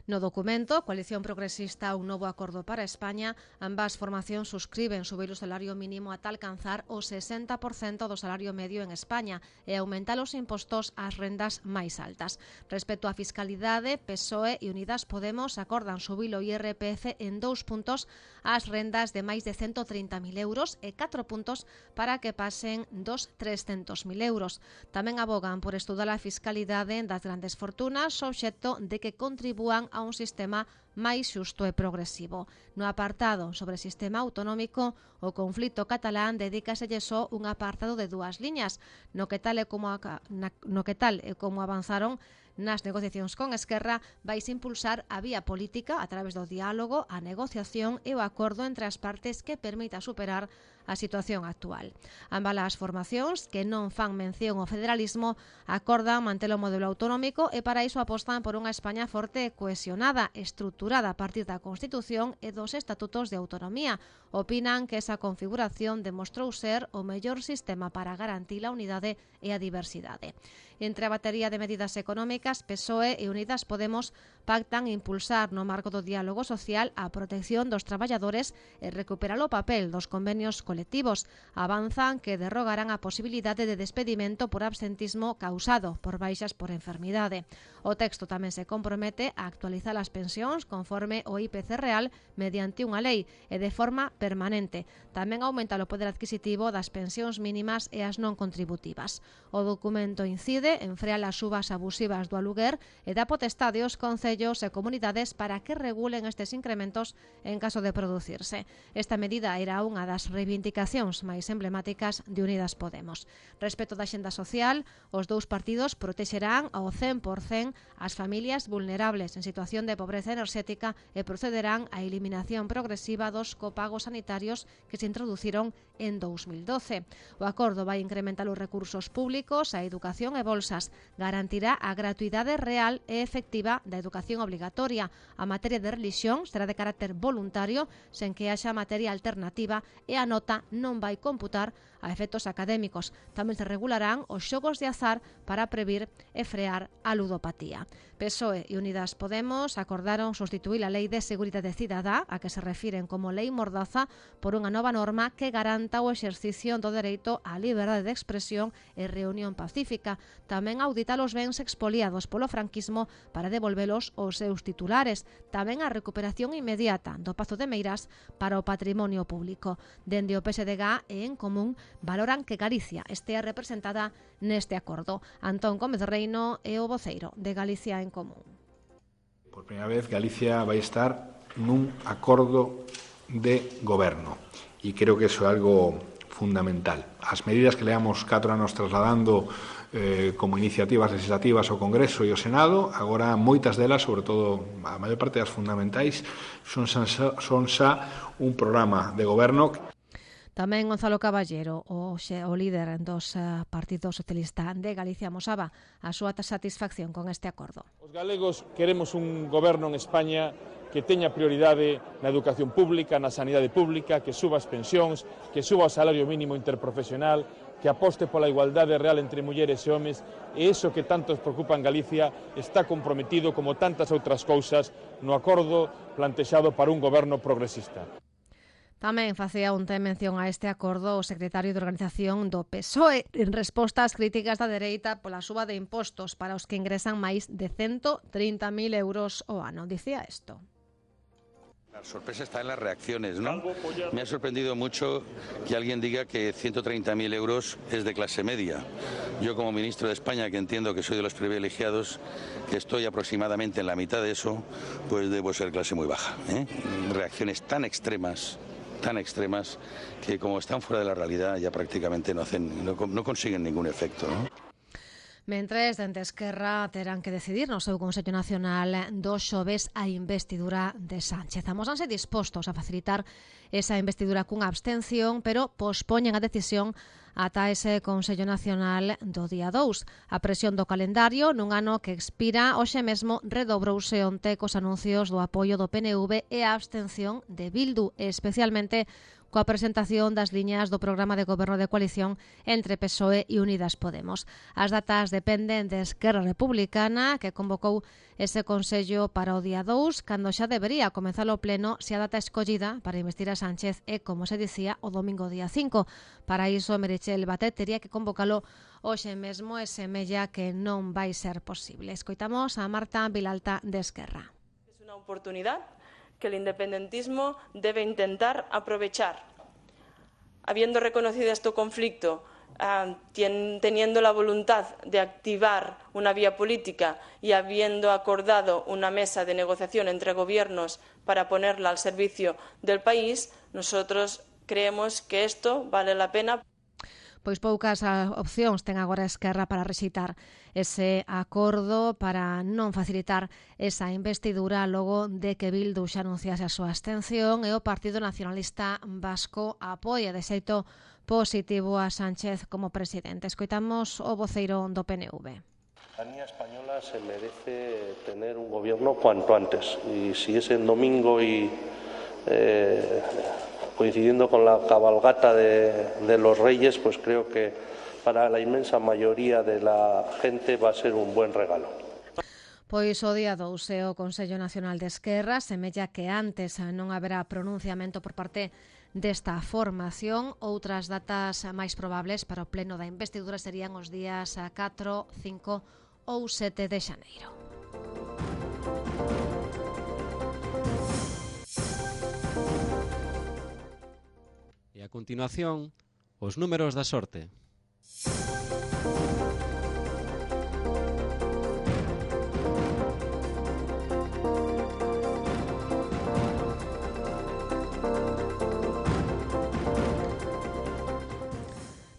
No documento, Coalición Progresista, un novo acordo para España, ambas formacións suscriben subir o salario mínimo ata alcanzar o sesenta por cento do salario medio en España e aumentar os impostos ás rendas máis altas. Respecto á fiscalidade, P S O E e Unidas Podemos acordan subir o I R P F en dous puntos ás rendas de máis de ciento trinta mil euros e catro puntos para que pasen dos trescentos mil euros. Tamén abogan por estudar a fiscalidade das grandes fortunas, obxecto de que contribúan a un sistema máis xusto e progresivo. No apartado sobre o sistema autonómico, o conflito catalán dedícaselle só un apartado de dúas liñas, no que tal e como, a, na, no que tal e como avanzaron nas negociacións con Esquerra, vais impulsar a vía política a través do diálogo, a negociación e o acordo entre as partes que permita superar a situación actual. Ambas as formacións, que non fan mención ao federalismo, acordan manter o modelo autonómico e para iso apostan por unha España forte e cohesionada, estruturada a partir da Constitución e dos estatutos de autonomía. Opinan que esa configuración demostrou ser o mellor sistema para garantir a unidade e a diversidade. Entre a batería de medidas económicas, P S O E e Unidas Podemos pactan impulsar no marco do diálogo social a protección dos traballadores e recuperar o papel dos convenios colectivos. Avanzan que derrogarán a posibilidade de despedimento por absentismo causado por baixas por enfermidade. O texto tamén se compromete a actualizar as pensións conforme o I P C real mediante unha lei e de forma permanente. Tamén aumenta o poder adquisitivo das pensións mínimas e as non contributivas. O documento incide en frear as subas abusivas do aluguer e da potestade aos concellos e comunidades para que regulen estes incrementos en caso de producirse. Esta medida era unha das reivindicacións máis emblemáticas de Unidas Podemos. Respecto da xenda social, os dous partidos protexerán ao cen por cen as familias vulnerables en situación de pobreza enerxética e procederán á eliminación progresiva dos copagos sanitarios que se introduciron en dous mil doce. O acordo vai incrementar os recursos públicos, a educación e bolsas, garantirá a gratuidade real e efectiva da educación obligatoria. A materia de religión será de carácter voluntario, sen que haxa materia alternativa, e a nota non vai computar a efectos académicos. Tamén se regularán os xogos de azar para previr e frear a ludopatía. P S O E e Unidas Podemos acordaron sustituir a Lei de Seguridade Cidadá, a que se refiren como Lei Mordaza, por unha nova norma que garanta o exercicio do dereito á liberdade de expresión e reunión pacífica. Tamén auditar os bens expoliados polo franquismo para devolvelos aos seus titulares. Tamén a recuperación inmediata do Pazo de Meirás para o patrimonio público. Dende o P S D G e En Común valoran que Galicia estea representada neste acordo. Antón Gómez Reino é o voceiro de Galicia En Común. Por primeira vez Galicia vai estar nun acordo de goberno e creo que iso é algo fundamental. As medidas que leamos catro anos trasladando eh, como iniciativas legislativas ao Congreso e ao Senado, agora moitas delas, sobre todo a maior parte das fundamentais, son xa, son xa un programa de goberno. Tamén Gonzalo Caballero, o, xe, o líder dos uh, Partido Socialista de Galicia, amosaba a súa satisfacción con este acordo. Os galegos queremos un goberno en España que teña prioridade na educación pública, na sanidade pública, que suba as pensións, que suba o salario mínimo interprofesional, que aposte pola igualdade real entre mulleres e homes, e iso que tanto os preocupa en Galicia está comprometido, como tantas outras cousas, no acordo plantexado para un goberno progresista. Tamén facía un ten mención a este acordo o secretario de Organización do P S O E en resposta ás críticas da dereita pola suba de impostos para os que ingresan máis de ciento trinta mil euros ao ano. Dicía isto. La sorpresa está en las reacciones, ¿no? Me ha sorprendido mucho que alguien diga que ciento treinta mil euros es de clase media. Yo, como ministro de España, que entiendo que soy de los privilegiados, que estoy aproximadamente en la mitad de eso, pues debo ser clase muy baja, ¿eh? Reacciones tan extremas, tan extremas, que como están fuera de la realidad ya prácticamente no hacen, no, no consiguen ningún efecto, ¿no? Mentres, dende Esquerra terán que decidir no seu Consello Nacional do xoves a investidura de Sánchez. Amósanse dispostos a facilitar esa investidura cunha abstención, pero pospoñen a decisión ata ese Consello Nacional do día dous. A presión do calendario nun ano que expira hoxe mesmo redobrouse onte cos anuncios do apoio do P N V e a abstención de Bildu, especialmente coa presentación das liñas do programa de goberno de coalición entre P S O E e Unidas Podemos. As datas dependen de Esquerra Republicana, que convocou ese Consello para o día dous, cando xa debería comenzar o pleno se a data escollida para investir a Sánchez é, como se dicía, o domingo día cinco. Para iso, Meritxell Batet tería que convocalo hoxe mesmo e semella que non vai ser posible. Escoitamos a Marta Vilalta de Esquerra. Es una oportunidad que el independentismo debe intentar aprovechar. Habiendo reconocido este conflicto Uh, tien, teniendo la voluntad de activar una vía política y habiendo acordado una mesa de negociación entre gobiernos para ponerla al servicio del país, nosotros creemos que esto vale la pena. Pois poucas opcións ten agora Esquerra para rexeitar ese acordo, para non facilitar esa investidura logo de que Bildu xa anunciase a súa abstención e o Partido Nacionalista Vasco apoia de xeito positivo a Sánchez como presidente. Escoitamos o voceiro do P N V. La ciudadanía española se merece tener un gobierno cuanto antes y si es en domingo y eh, coincidiendo con la cabalgata de, de los Reyes, pues creo que para la inmensa mayoría de la gente va a ser un buen regalo. Pois o día dous e o Consello Nacional de Esquerra semella que antes non haberá pronunciamento por parte desta formación. Outras datas máis probables para o pleno da investidura serían os días catro, cinco ou sete de xaneiro. E a continuación, os números da sorte.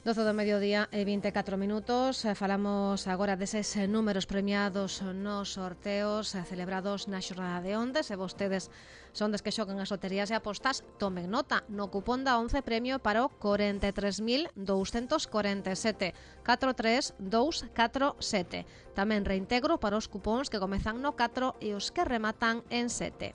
doce do mediodía e vinte e catro minutos. Falamos agora deses números premiados nos sorteos celebrados na xornada de onde. Se vostedes son des que xogan as loterías e apostas, tomen nota. No cupón da once premio para o corenta e tres mil douscentos corenta e sete, catro tres dous catro sete. Tamén reintegro para os cupóns que comezan no catro e os que rematan en sete.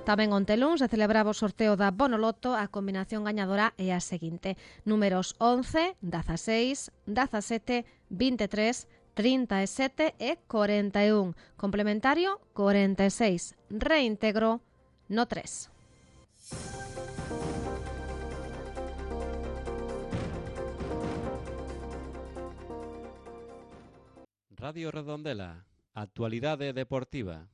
Tamén onte luns se celebraba o sorteo da Bonoloto. A combinación gañadora é a seguinte: números once, dezaseis, dezasete, vinte e tres, trinta e sete e corenta e un. Complementario corenta e seis. Reintegro no tres. Radio Redondela, actualidade deportiva.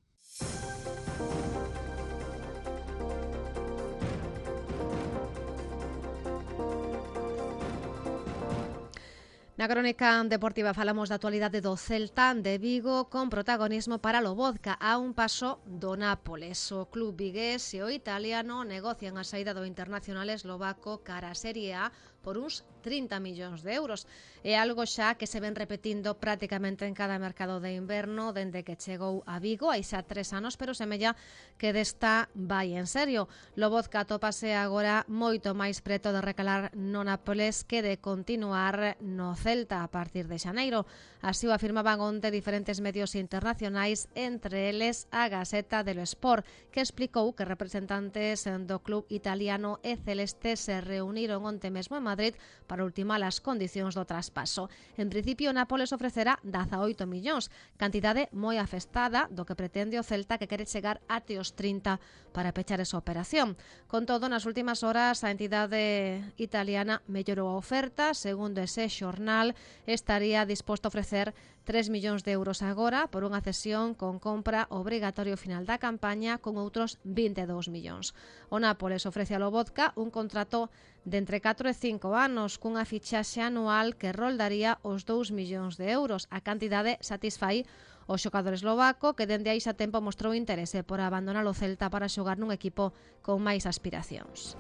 Na crónica deportiva falamos da actualidade do Celta de Vigo con protagonismo para Lobotka a un paso do Nápoles. O club vigués e o italiano negocian a saída do internacional eslovaco cara a Serie A por uns trinta millóns de euros. É algo xa que se ven repetindo prácticamente en cada mercado de inverno dende que chegou a Vigo hai xa tres anos, pero semella que desta vai en serio. Lobotka tópase agora moito máis preto de recalar no Nápoles que de continuar no Celta a partir de xaneiro. Así o afirmaban onte diferentes medios internacionais, entre eles a Gaceta dello Sport, que explicou que representantes do club italiano e celeste se reuniron onte mesmo en Madrid para ultimar as condicións do traspaso. En principio, Nápoles ofrecerá dezaoito millóns, cantidade moi afestada do que pretende o Celta, que quere chegar até os trinta para pechar esa operación. Con todo, nas últimas horas, a entidade italiana mellorou a oferta. Segundo ese xornal, estaría disposto a ofrecer tres millóns de euros agora por unha cesión con compra obrigatorio final da campaña con outros vinte e dous millóns. O Nápoles ofrece a Lobotka un contrato de entre catro e cinco anos cunha fichaxe anual que roldaría os dous millóns de euros. A cantidade satisfai o xogador eslovaco, que dende aí xa tempo mostrou interese por abandonar o Celta para xogar nun equipo con máis aspiracións.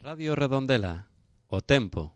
Radio Redondela, o tempo.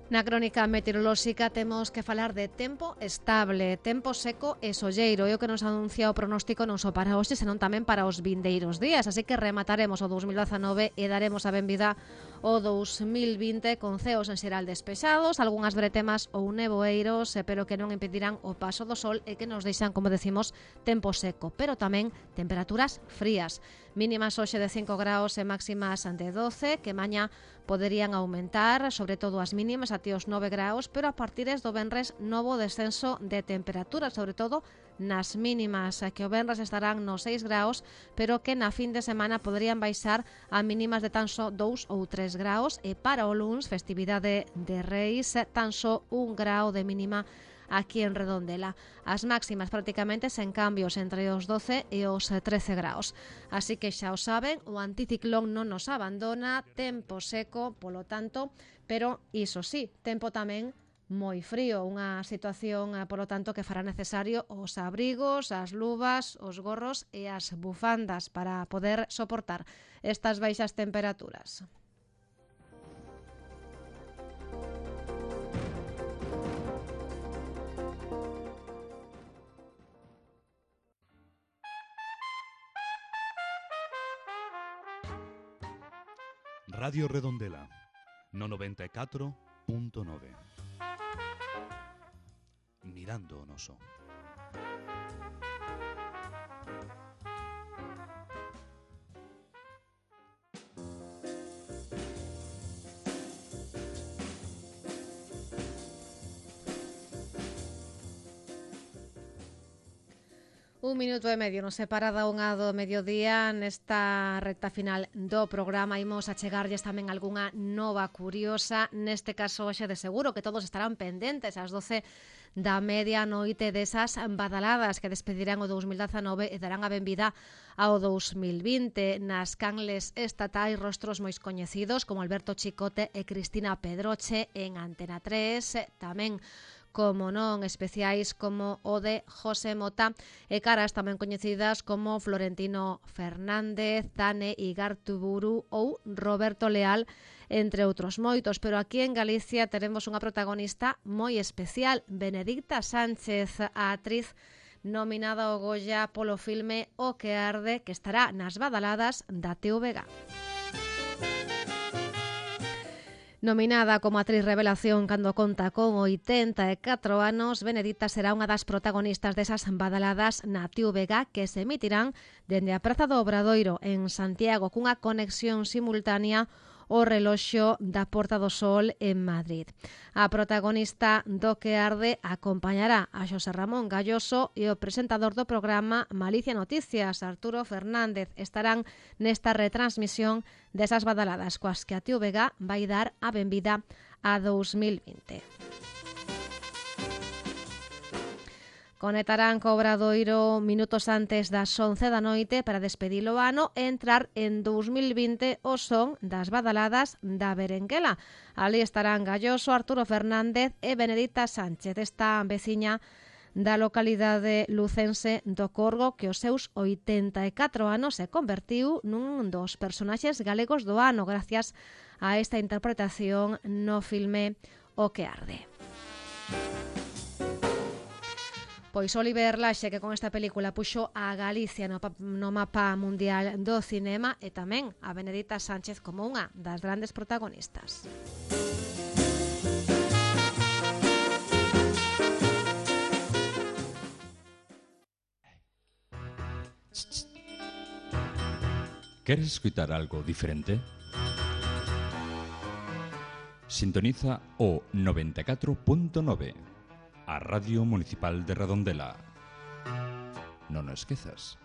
Na crónica meteorolóxica temos que falar de tempo estable, tempo seco e solleiro. É o que nos anuncia o pronóstico non só para hoxe, senón tamén para os vindeiros días. Así que remataremos o dous mil dezanove e daremos a benvida o dous mil vinte con ceos en xeral despexados, algunhas bretemas ou nevoeiros, pero que non impedirán o paso do sol e que nos deixan, como decimos, tempo seco, pero tamén temperaturas frías. Mínimas hoxe de cinco graus e máximas de doce, que mañá poderían aumentar, sobre todo as mínimas até os nove graus, pero a partires do venres novo descenso de temperatura, sobre todo nas mínimas, que o venres estarán nos seis graus, pero que na fin de semana poderían baixar a mínimas de tan só dous ou tres graus, e para o luns, festividade de Reis, tan só un grau de mínima aquí en Redondela. As máximas prácticamente sen cambios entre os doce e os trece graus. Así que xa o saben, o anticiclón non nos abandona, tempo seco, polo tanto, pero iso sí, tempo tamén moi frío, unha situación, polo tanto, que fará necesario os abrigos, as luvas, os gorros e as bufandas para poder soportar estas baixas temperaturas. Radio Redondela, no noventa e catro punto nove. Mirando o noso. Un minuto e medio nos separa da unha do mediodía. Nesta recta final do programa imos a chegarlles tamén algunha nova curiosa. Neste caso, xe de seguro que todos estarán pendentes ás doce da media noite desas badaladas que despedirán o dous mil dezanove e darán a benvida ao dous mil vinte. Nas canles estatais, rostros moi coñecidos como Alberto Chicote e Cristina Pedroche en Antena tres, tamén como non especiais como o de José Mota e caras tamén coñecidas como Florentino Fernández, Tane Igartuburu ou Roberto Leal, entre outros moitos. Pero aquí en Galicia teremos unha protagonista moi especial, Benedicta Sánchez, a actriz nominada ao Goya polo filme O que arde, que estará nas badaladas da T V G. Nominada como actriz revelación cando conta con oitenta e catro anos, Benedicta será unha das protagonistas desas badaladas na T V G que se emitirán dende a Praza do Obradoiro en Santiago cunha conexión simultánea o reloxo da Porta do Sol en Madrid. A protagonista do que arde acompañará a Xosé Ramón Galloso e o presentador do programa Malicia Noticias, Arturo Fernández. Estarán nesta retransmisión desas badaladas coas que a T V G vai dar a benvida a dous mil vinte. Conectarán co Obradoiro minutos antes das once da noite para despedir o ano e entrar en dous mil vinte o son das badaladas da Berenguela. Ali estarán Galloso, Arturo Fernández e Benedicta Sánchez, esta veciña da localidade lucense do Corgo que os seus oitenta e catro anos se convertiu nun dos personaxes galegos do ano gracias a esta interpretación no filme O que arde. Pois Oliver Laxe, que con esta película puxo a Galicia no, no mapa mundial do cinema, e tamén a Benedicta Sánchez como unha das grandes protagonistas. ¿Queres escutar algo diferente? Sintoniza o noventa e catro punto nove. A Radio Municipal de Redondela. Non o esquezas.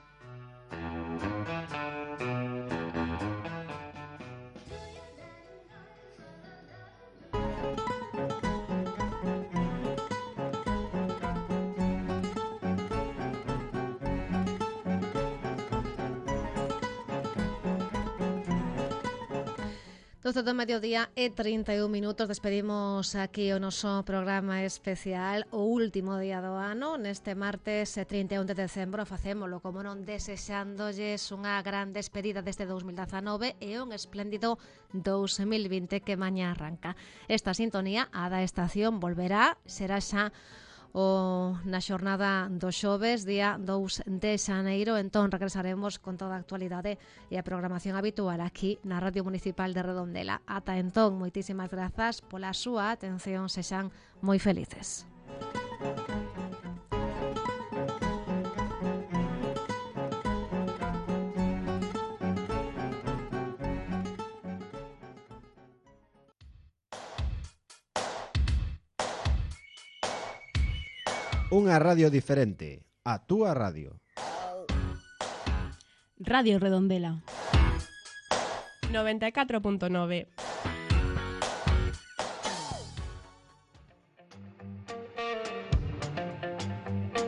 doce do mediodía e trinta e un minutos. Despedimos aquí o noso programa especial, o último día do ano. Neste martes trinta e un de decembro facémolo, como non, desexándolles unha gran despedida deste dous mil dezanove e un espléndido dous mil vinte que mañá arranca. Esta sintonía, a da estación, volverá, será xa o na xornada do xoves, día dous de xaneiro. Entón regresaremos con toda a actualidade e a programación habitual aquí na Radio Municipal de Redondela. Ata entón, moitísimas grazas pola súa atención, sexan moi felices. Unha radio diferente, a túa radio. Radio Redondela noventa e catro punto nove.